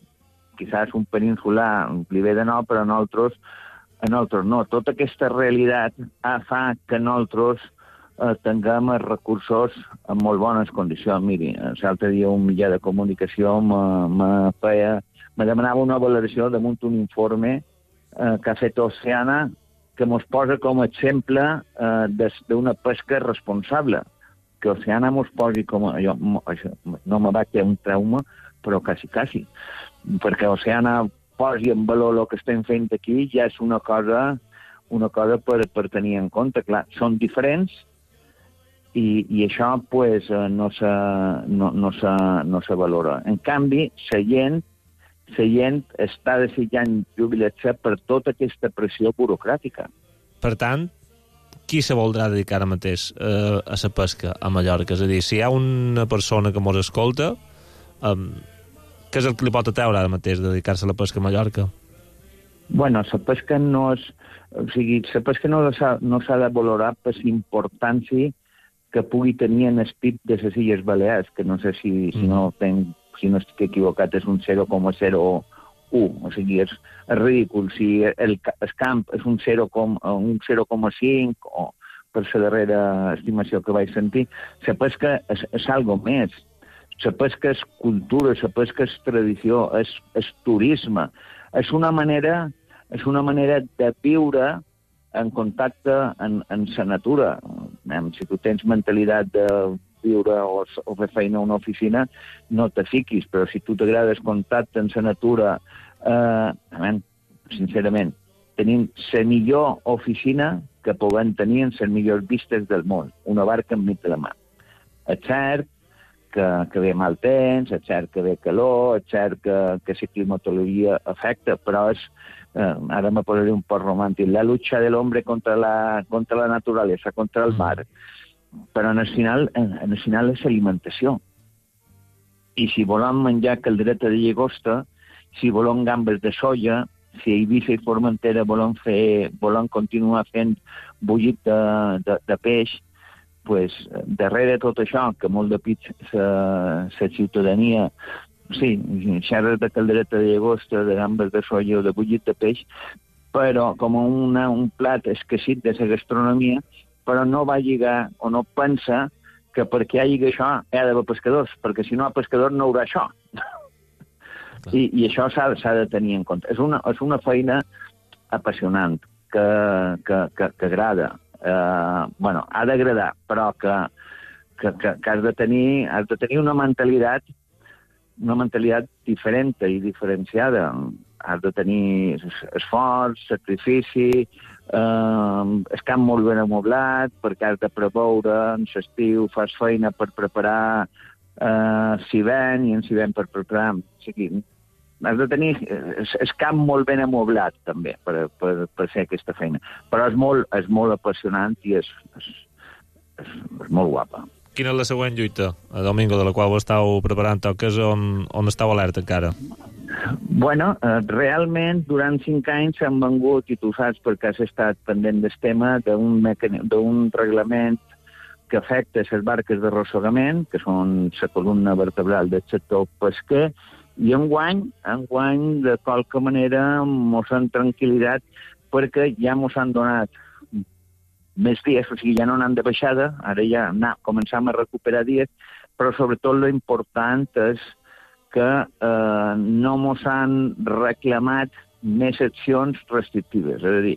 Quizás un peninsular li ve de nou, però a nosaltres, a nosaltres no. Tota aquesta realitat fa que nosaltres eh, tinguem els recursos en molt bones condicions. Miri, l'altre dia un mitjà de comunicació me, me, feia, me demanava una valoració damunt un informe eh, que ha fet Oceana que ens posa com a exemple eh, d'una pesca responsable. Que Oceana ens posi com a... Jo, això, no me va quedar un trauma, però quasi, quasi. Perquè Oceana posi en valor el que estem fent aquí ja és una cosa, una cosa per, per tenir en compte. Clar, són diferents i, i això pues, no, se, no, no, se, no se valora. En canvi, la gent, la gent està desitjant jubilar-se per tota aquesta pressió burocràtica. Per tant, qui se voldrà dedicar ara mateix eh, a la pesca a Mallorca? És a dir, si hi ha una persona que mos escolta, eh, què és el que li pot atreure ara mateix de dedicar-se a la pesca a Mallorca? Bueno, la pesca no és... O sigui, la pesca no s'ha no de valorar per l'importància que pugui tenir en el P I B de les Illes Balears, que no sé si, mm. si, no, tenc, si no estic equivocat, és un zero coma zero u. O sigui, és, és ridícul. Si el, el camp és un zero coma cinc o per la darrera estimació que vaig sentir, la pesca és, és algo més. La pesca és cultura, la pesca és tradició, és, és turisme. És una manera, és una manera de viure en contacte en, en la natura. Si tu tens mentalitat de viure o, o fer feina a una oficina, no te fiquis, però si tu t'agrades contacte en la natura, eh, amen, sincerament, tenim la millor oficina que puguem tenir en les millors vistes del món, una barca enmig de la mà. És cert que, que ve mal temps, és cert que ve calor, és cert que, que la climatologia afecta, però és, eh, ara me posaré un poc romàntic, la lucha del hombre contra la, contra la naturalesa, contra el mar. Però en el final, en el final és alimentació. I si volem menjar caldereta de llagosta, si volem gambes de soia, si a Eivissa i Formentera volem, fer, volem continuar fent bullit de, de, de peix, pues, darrere de tot això, que molt de pit la ciutadania, sí, xerres de caldereta de llagosta, de gambes de soia o de bullit de peix, però com una, un plat esquecit de la gastronomia, però no va lligar o no pensa que perquè hi hagi això hi ha d'haver pescadors, perquè si no hi ha pescadors no hi haurà això. I, i això s'ha de tenir en compte. És una, és una feina apassionant, que, que, que, que agrada. Eh, bueno, ha d'agradar, però que, que, que, que has de tenir, has de tenir una mentalitat una mentalitat diferent i diferenciada. Has de tenir esforç, sacrifici, eh, el camp molt ben amoblat, perquè has de preveure en l'estiu, fas feina per preparar eh, s'hivern i en s'hivern per preparar... O sigui, has de tenir el camp molt ben amoblat, també, per, per, per fer aquesta feina. Però és molt, és molt apassionant i és, és, és, és molt guapa. Quina és la següent lluita, a Domingo, de la qual ho estàu preparant, o que és on, on estàu alerta encara? Bueno, eh, realment, durant cinc anys han vengut, i tu saps perquè has estat pendent del tema, d'un mecani... reglament que afecta les barques d'arrossegament, que són la columna vertebral del sector pesquer, i enguany, enguany, de qualque manera, mos han tranquil·litat perquè ja mos han donat més dies, o sigui, ja no anant de baixada, ara ja na, començam a recuperar dies, però sobretot lo important és que eh, no mos han reclamat més accions restrictives. És a dir,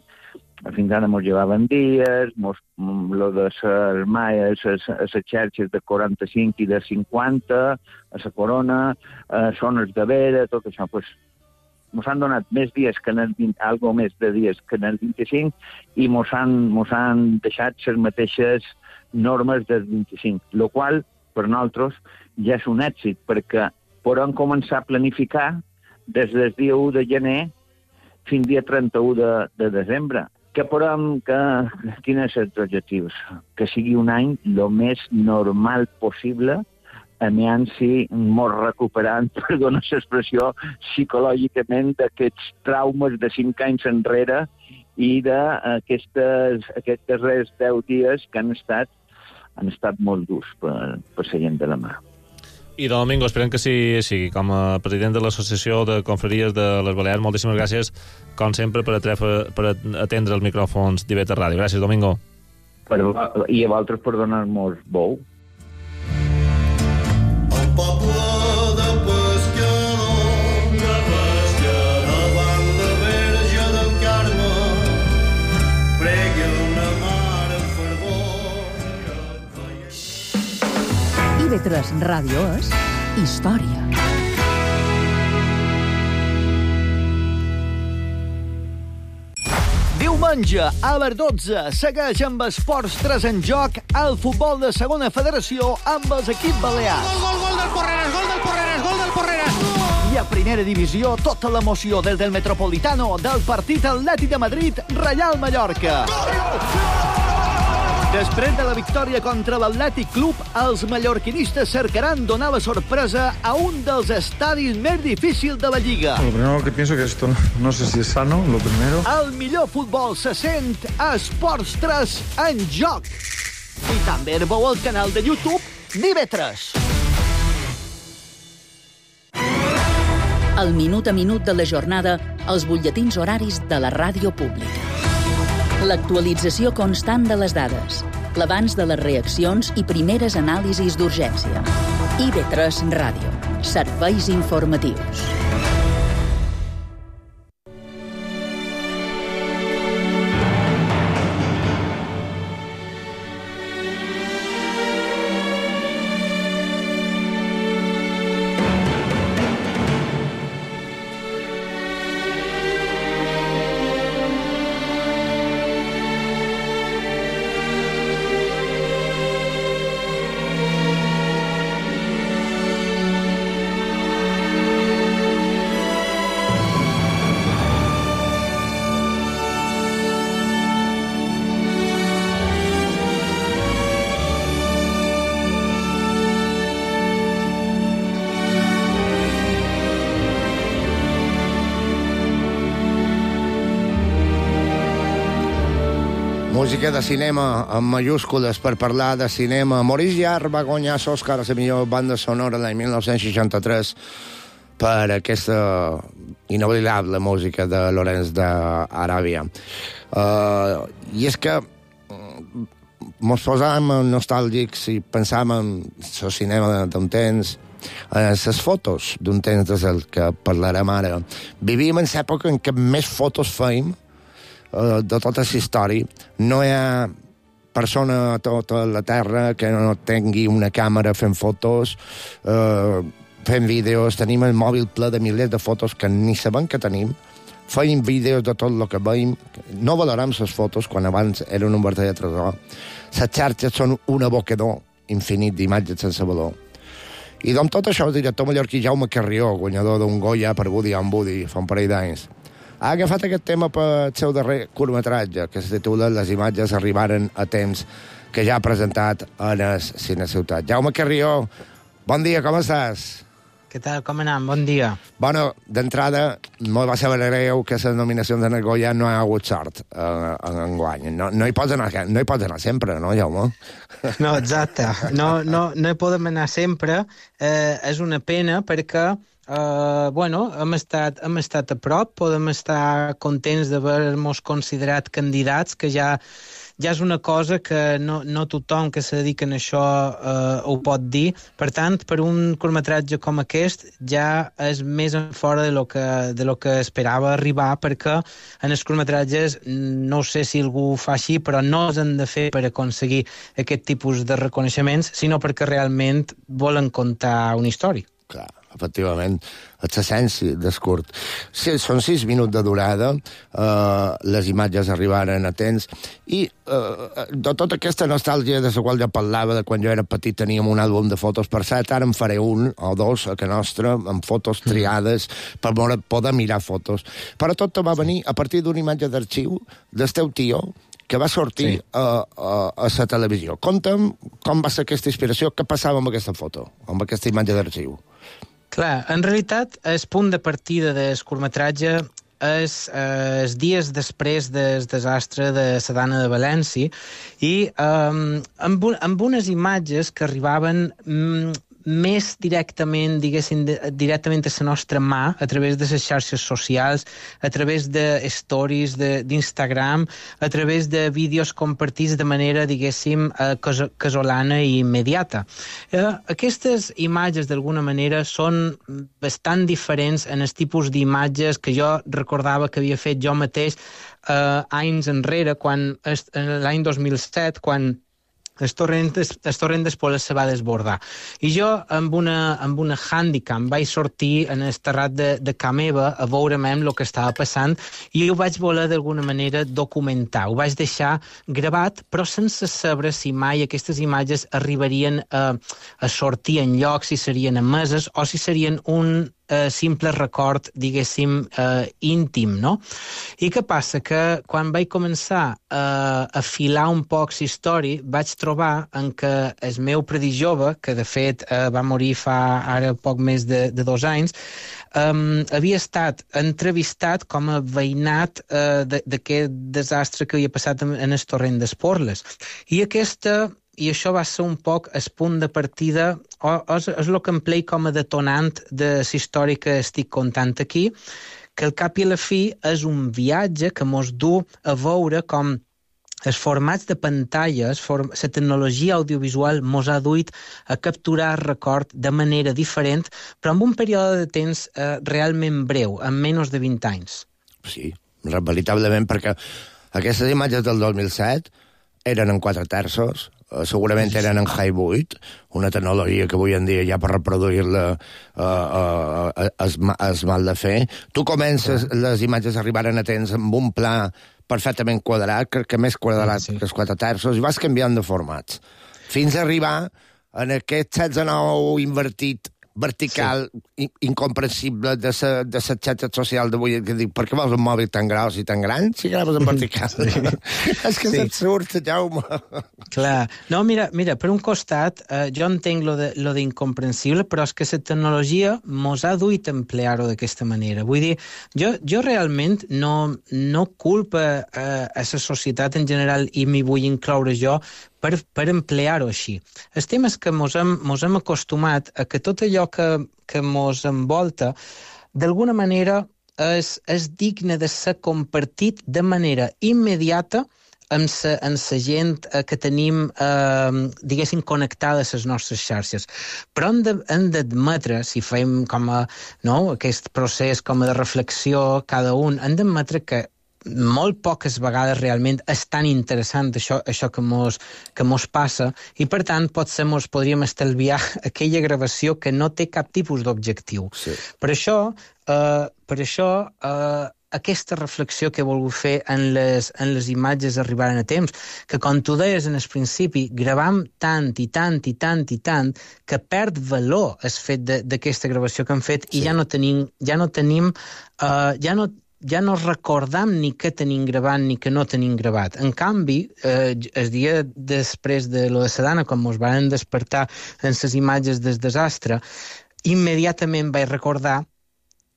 fins ara mos llevaven dies, mos, lo de les malles, les xarxes de quaranta-cinc i de cinquanta, a la corona, eh, zones de vera, tot això, doncs, mos han donat més dies que en el vint, algo més de dies que en el vint-i-cinc, i mos han, mos han deixat les mateixes normes del vint-i-cinc, el qual, per nosaltres, ja és un èxit, perquè podem començar a planificar des del dia u de gener fins al dia trenta-u de, de desembre. Que podem, que, quins són els objectius? Que sigui un any el més normal possible, aviam si mos recuperant, perdona l'expressió, psicològicament d'aquests traumes de cinc anys enrere i d'aquestes aquests darrers deu dies que han estat, han estat molt durs per, per la gent de la mà. I Domingo, esperem que sí, sí, com a president de l'Associació de Confraries de les Balears, moltíssimes gràcies, com sempre, per, atrefa, per atendre els micròfons d'I V tres Ràdio. Gràcies, Domingo. Per, I a vosaltres per donar-nos bou. El poble de pescador, de pescador, davant la Verge del Carme, pregui una mare en fervor. I V tres Ràdio és història. Diumenge, a les dotze, segueix amb Esports tres en joc el futbol de segona federació amb els equips balears. Gol, gol, gol del Porreres, gol del Porreres, gol del Porreres! I a primera divisió, tota l'emoció des del Metropolitano del partit Atlètic de Madrid, Reial Mallorca. Després de la victòria contra l'Atlètic Club, els mallorquinistes cercaran donar la sorpresa a un dels estadis més difícils de la Lliga. Lo primero que pienso que esto no, no sé si es sano, lo primero. El millor futbol se sent a Esports tres en joc. I també el veu al canal de YouTube d'I V tres. El minut a minut de la jornada, els butlletins horaris de la ràdio pública. L'actualització constant de les dades, l'abans de les reaccions i primeres anàlisis d'urgència. I V tres Ràdio. Serveis informatius. Música de cinema amb mayúscules per parlar de cinema. Maurice Jarre va guanyar l'Oscar a la millor banda sonora l'any mil nou-cents seixanta-tres per aquesta inoblidable música de Lawrence d'Aràbia. Uh, I és que mos posàvem nostàlgics i pensàvem en el cinema d'un temps Eh, les fotos d'un temps des del que parlarem ara. Vivíem en l'època en què més fotos feim eh, de tota la història. No hi ha persona a tota la Terra que no tingui una càmera fent fotos, eh, fent vídeos. Tenim el mòbil ple de milers de fotos que ni sabem que tenim. Feim vídeos de tot el que veiem. No valorem les fotos quan abans eren un verdader tresor. Les xarxes són un abocador infinit d'imatges sense valor. I amb tot això, el director mallorquí Jaume Carrió, guanyador d'un Goya per Woody and Woody fa un parell d'anys, ha agafat aquest tema pel seu darrer curtmetratge, que es titula Les imatges arribaren a temps, que ja ha presentat en el Cine Ciutat. Jaume Carrió, bon dia, com estàs? Què tal, com anem? Bon dia. Bueno, d'entrada, molt va saber greu que les nominacions de Goya no ha hagut sort eh, en enguany. No, no, hi pots anar, no hi pots anar sempre, no, Jaume? No, exacte. No, no, no hi podem anar sempre. Eh, és una pena perquè eh, bueno, hem estat, hem estat a prop, podem estar contents d'haver-nos considerat candidats, que ja ja és una cosa que no, no tothom que se dedica a això eh, ho pot dir. Per tant, per un curtmetratge com aquest ja és més en fora de lo que, de lo que esperava arribar, perquè en els curtmetratges, no sé si algú ho fa així, però no els han de fer per aconseguir aquest tipus de reconeixements, sinó perquè realment volen contar una història. Clar, efectivament, és l'essència del curt. Sí, són sis minuts de durada, eh, les imatges arribaren a temps, i eh, de tota aquesta nostàlgia de la qual ja parlava, de quan jo era petit teníem un àlbum de fotos, per cert, ara en faré un o dos a casa nostra, amb fotos triades, per poder mirar fotos. Però tot va venir a partir d'una imatge d'arxiu del teu tio, que va sortir sí. a, a, a la televisió. Conta'm com va ser aquesta inspiració, què passava amb aquesta foto, amb aquesta imatge d'arxiu. Clar, en realitat, el punt de partida del curtmetratge és eh, els dies després del desastre de la Dana de València i eh, amb, un, amb unes imatges que arribaven mm, més directament, diguéssim, de, directament a la nostra mà, a través de les xarxes socials, a través de stories d'Instagram, a través de vídeos compartits de manera, diguéssim, eh, cas casolana i immediata. Eh, aquestes imatges, d'alguna manera, són bastant diferents en els tipus d'imatges que jo recordava que havia fet jo mateix eh, anys enrere, quan l'any dos mil set, quan el torrent, el torrent d'Espoles se va desbordar. I jo, amb una, amb una handicam, vaig sortir en el terrat de, de ca meva a veure'm el que estava passant i ho vaig voler d'alguna manera documentar. Ho vaig deixar gravat, però sense saber si mai aquestes imatges arribarien a, a sortir en lloc, si serien emeses o si serien un Uh, simple record, diguéssim, uh, íntim, no? I què passa? Que quan vaig començar uh, a filar un poc la història, vaig trobar en què el meu predí jove, que de fet uh, va morir fa ara poc més de, de dos anys, um, havia estat entrevistat com a veïnat uh, d'aquest desastre que havia passat en, en el torrent d'Esporles. I aquesta... I això va ser un poc el punt de partida, o, o és, és el que em plei com a detonant de la història que estic contant aquí, que al cap i a la fi és un viatge que mos du a veure com els formats de pantalles, la tecnologia audiovisual mos ha duit a capturar el record de manera diferent, però en un període de temps eh, realment breu, en menys de vint anys. Sí, veritablement, perquè aquestes imatges del dos mil set eren en quatre terços, segurament eren en High vuit, una tecnologia que avui en dia ja per reproduir-la uh, uh, es, es mal de fer. Tu comences, les imatges arribaren a temps amb un pla perfectament quadrat, crec que més quadrat sí. que els quatre terços, i vas canviant de formats, fins a arribar en aquest setze nou invertit vertical, sí. incomprensible de la de xarxa social d'avui, que dic, per què vols un mòbil tan gros i tan gran si graves en vertical? Sí. És que sí. S'absurd, Jaume. Clar. No, mira, mira, per un costat, eh, jo entenc lo de, lo d'incomprensible, però és que la tecnologia mos ha duit a emplear-ho d'aquesta manera. Vull dir, jo, jo realment no, no culpa eh, a la societat en general, i m'hi vull incloure jo, per, per emplear-ho així. El tema és que mos hem, mos hem acostumat a que tot allò que, que mos envolta, d'alguna manera és, és digne de ser compartit de manera immediata amb la, amb la gent eh, que tenim, eh, diguéssim, connectada a les nostres xarxes. Però hem de, hem d'admetre, si fem com a, no, aquest procés com a de reflexió cada un, hem d'admetre que molt poques vegades realment és tan interessant això, això que mos, que mos passa, i per tant potser mos podríem estalviar aquella gravació que no té cap tipus d'objectiu. Sí. Per això, eh, per això eh, aquesta reflexió que he volgut fer en les, en les imatges arribaren a temps, que com tu deies en el principi, gravam tant i tant i tant i tant que perd valor el fet d'aquesta gravació que hem fet, sí. I ja no tenim, ja no tenim, eh, ja no ja no recordam ni què tenim gravat ni què no tenim gravat. En canvi, eh, el dia després de lo de Sedana, quan ens van despertar en les imatges del desastre, immediatament vaig recordar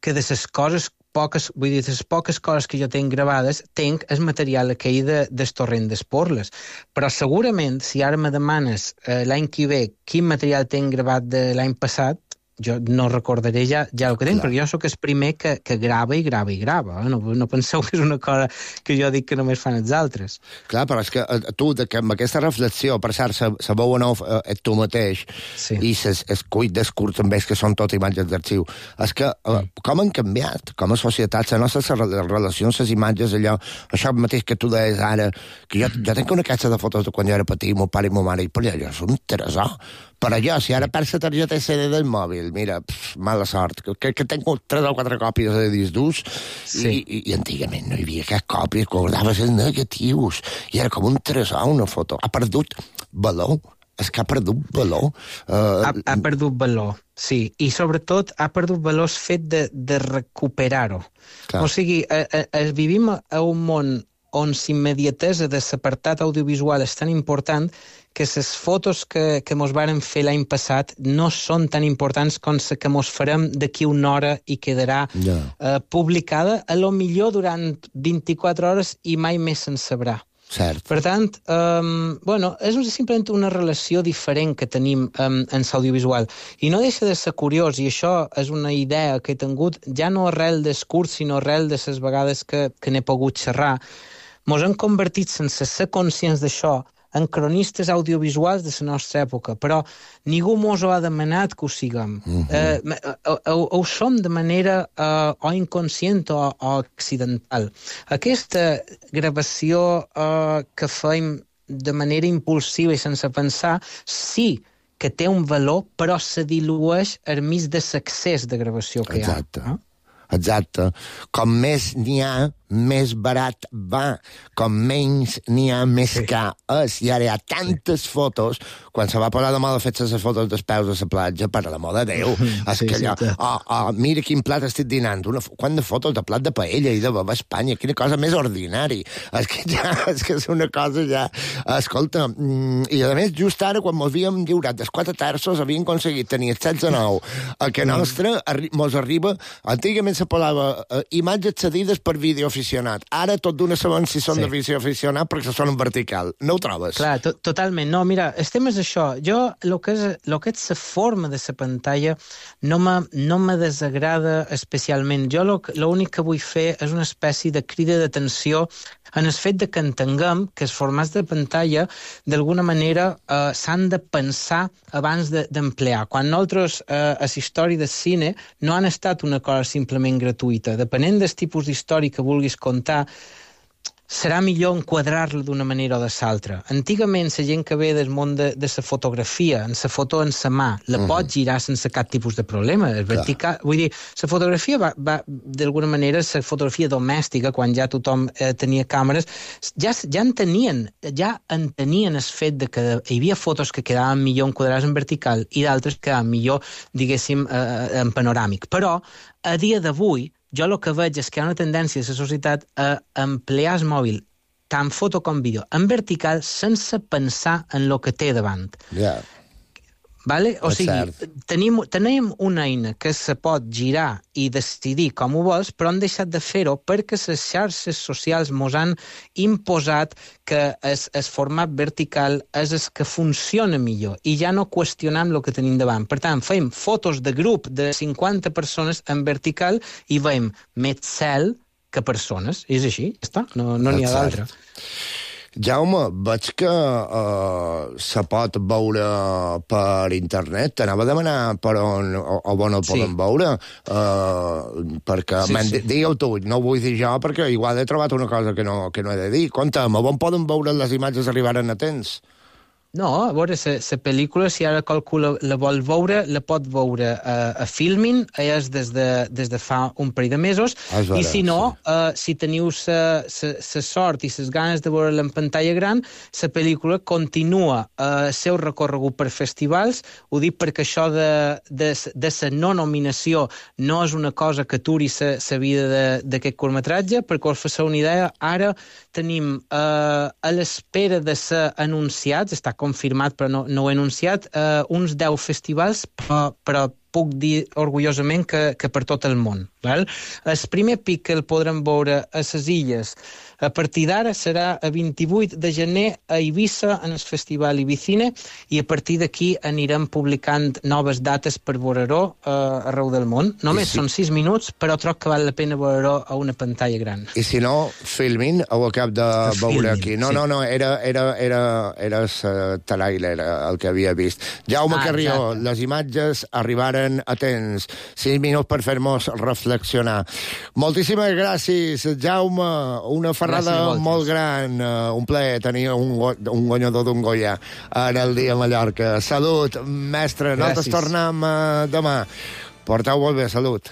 que de les coses poques, vull dir, les poques coses que jo tinc gravades, tinc el material aquell de, del torrent d'Esporles. Però segurament, si ara me demanes eh, l'any que ve quin material tinc gravat de l'any passat, jo no recordaré ja, ja el que tinc, perquè jo sóc el primer que, que grava i grava i grava. Eh? No, no penseu que és una cosa que jo dic que només fan els altres. Clar, però és que eh, tu, de que amb aquesta reflexió, per cert, se, se veu nou eh, et tu mateix, sí. I ses, es cuit d'escurt també, és que són tot imatges d'arxiu. És que eh, com han canviat, com a societat, les nostres relacions, les imatges, allò, això mateix que tu deies ara, que jo, jo tinc una caixa de fotos de quan jo era petit, mon pare i mon mare, i per allò és un tresor. Però jo, si ara perds la targeta S D del mòbil, mira, pff, mala sort, que, que tenc tres o quatre còpies de disc durs, sí. i, i, i antigament no hi havia cap còpia, guardaves els negatius, i era com un tresor, una foto. Ha perdut valor, és que ha perdut valor. Uh, ha, ha perdut valor, sí, i sobretot ha perdut valor el fet de, de recuperar-ho. O sigui, a, a, a, vivim a un món on l'immediatesa de l'apartat audiovisual és tan important que les fotos que, que mos varen fer l'any passat no són tan importants com les que mos farem d'aquí una hora i quedarà yeah. eh, publicada, a lo millor durant vint-i-quatre hores i mai més se'n sabrà. Cert. Per tant, um, bueno, és simplement una relació diferent que tenim um, en l'audiovisual. I no deixa de ser curiós, i això és una idea que he tingut, ja no arrel del curs, sinó arrel de les vegades que, que n'he pogut xerrar. Mos hem convertit, sense ser conscients d'això, en cronistes audiovisuals de la nostra època, però ningú mos ho ha demanat que ho siguem. Mm-hmm. eh, ho, ho, ho som de manera eh, o inconscient o, o accidental. Aquesta gravació eh, que fem de manera impulsiva i sense pensar, sí que té un valor, però se dilueix al mig de l'accés de gravació que Exacte. hi ha. No? Exacte. Com més n'hi ha, més barat va. Com menys n'hi ha, més sí. car és. I ara hi ha tantes fotos, quan se va posar de moda fer les fotos dels peus de la platja, per l'amor de Déu. És sí, que allò, sí, oh, oh, mira quin plat estic dinant. Una, quant de fotos de plat de paella i de baba a Espanya. Quina cosa més ordinari. És que ja, és que és una cosa ja... Escolta, mm, i a més, just ara, quan mos havíem lliurat dels quatre terços, havien aconseguit tenir el setze nou. A que nostre arri mos arriba... Antigament se posava uh, imatges cedides per videoaficionat. Ara tot d'una sabem si són sí. de videoaficionat perquè són en vertical. No ho trobes? Clar, to totalment. No, mira, el tema és això. Jo, el que és, lo que és la forma de la pantalla no me, no me desagrada especialment. Jo l'únic que vull fer és una espècie de crida d'atenció en el fet de que entenguem que els formats de pantalla d'alguna manera eh, s'han de pensar abans d'emplear. De, Quan nosaltres eh, a la història del cine no han estat una cosa simplement gratuïta. Depenent del tipus d'història que vulguis contar, serà millor enquadrar-la d'una manera o de l'altra. Antigament, la gent que ve del món de, de la fotografia, en la foto en la mà, la uh-huh. pot girar sense cap tipus de problema. El vertical, vull dir, la fotografia va, va d'alguna manera, la fotografia domèstica, quan ja tothom eh, tenia càmeres, ja, ja en tenien, ja entenien el fet de que hi havia fotos que quedaven millor enquadrades en vertical i d'altres que quedaven millor, diguéssim, eh, en panoràmic. Però, a dia d'avui, jo el que veig és que hi ha una tendència de la societat a emplear el mòbil, tant foto com vídeo, en vertical, sense pensar en el que té davant. Ja. Yeah. Vale? O sigui, tenim, tenim una eina que se pot girar i decidir com ho vols, però han deixat de fer-ho perquè les xarxes socials mos han imposat que el, el format vertical és el que funciona millor i ja no qüestionem el que tenim davant. Per tant, fem fotos de grup de cinquanta persones en vertical i veiem més cel que persones. És així, ja està, no n'hi no ha d'altra. Jaume, veig que uh, se pot veure per internet. T'anava a demanar per on, o, o on el podem sí. veure, uh, perquè sí, sí. digueu tu, no ho vull dir jo, perquè igual he trobat una cosa que no, que no he de dir. Conta'm, on poden veure les imatges arribaren a temps? No, a veure, la pel·lícula, si ara qualcú la, la vol veure, la pot veure a, a Filmin, és des de, des de fa un parell de mesos, ah, vera, i si no, sí. uh, si teniu la sort i les ganes de veure-la en pantalla gran, la pel·lícula continua el uh, seu recorregut per festivals. Ho dic perquè això de, de, de la no nominació no és una cosa que aturi la vida d'aquest curtmetratge, perquè us fasseu una idea, ara tenim uh, a l'espera de ser anunciats, està confirmat però no, no ho he anunciat, eh, uns deu festivals, però, però puc dir orgullosament que, que per tot el món. Val? El primer pic que el podrem veure a les illes a partir d'ara serà a vint-i-vuit de gener a Eivissa, en el Festival Ibicine, i a partir d'aquí anirem publicant noves dates per veure-ho eh, arreu del món. Només si... són sis minuts, però troc que val la pena veure-ho a una pantalla gran. I si no, Filmin, ho acab de a veure filmin, aquí. No, sí. no, no, era, era, era, era el tràiler el que havia vist. Jaume ah, Carrió, exacte. Les imatges arribaren a temps. Sis minuts per fer-nos reflexionar. Moltíssimes gràcies, Jaume. Una ferrada molt gran. Uh, un plaer tenir un, go un guanyador d'un Goya en el dia a Mallorca. Salut, mestre. Nosaltres tornem uh, demà. Porteu molt bé, salut.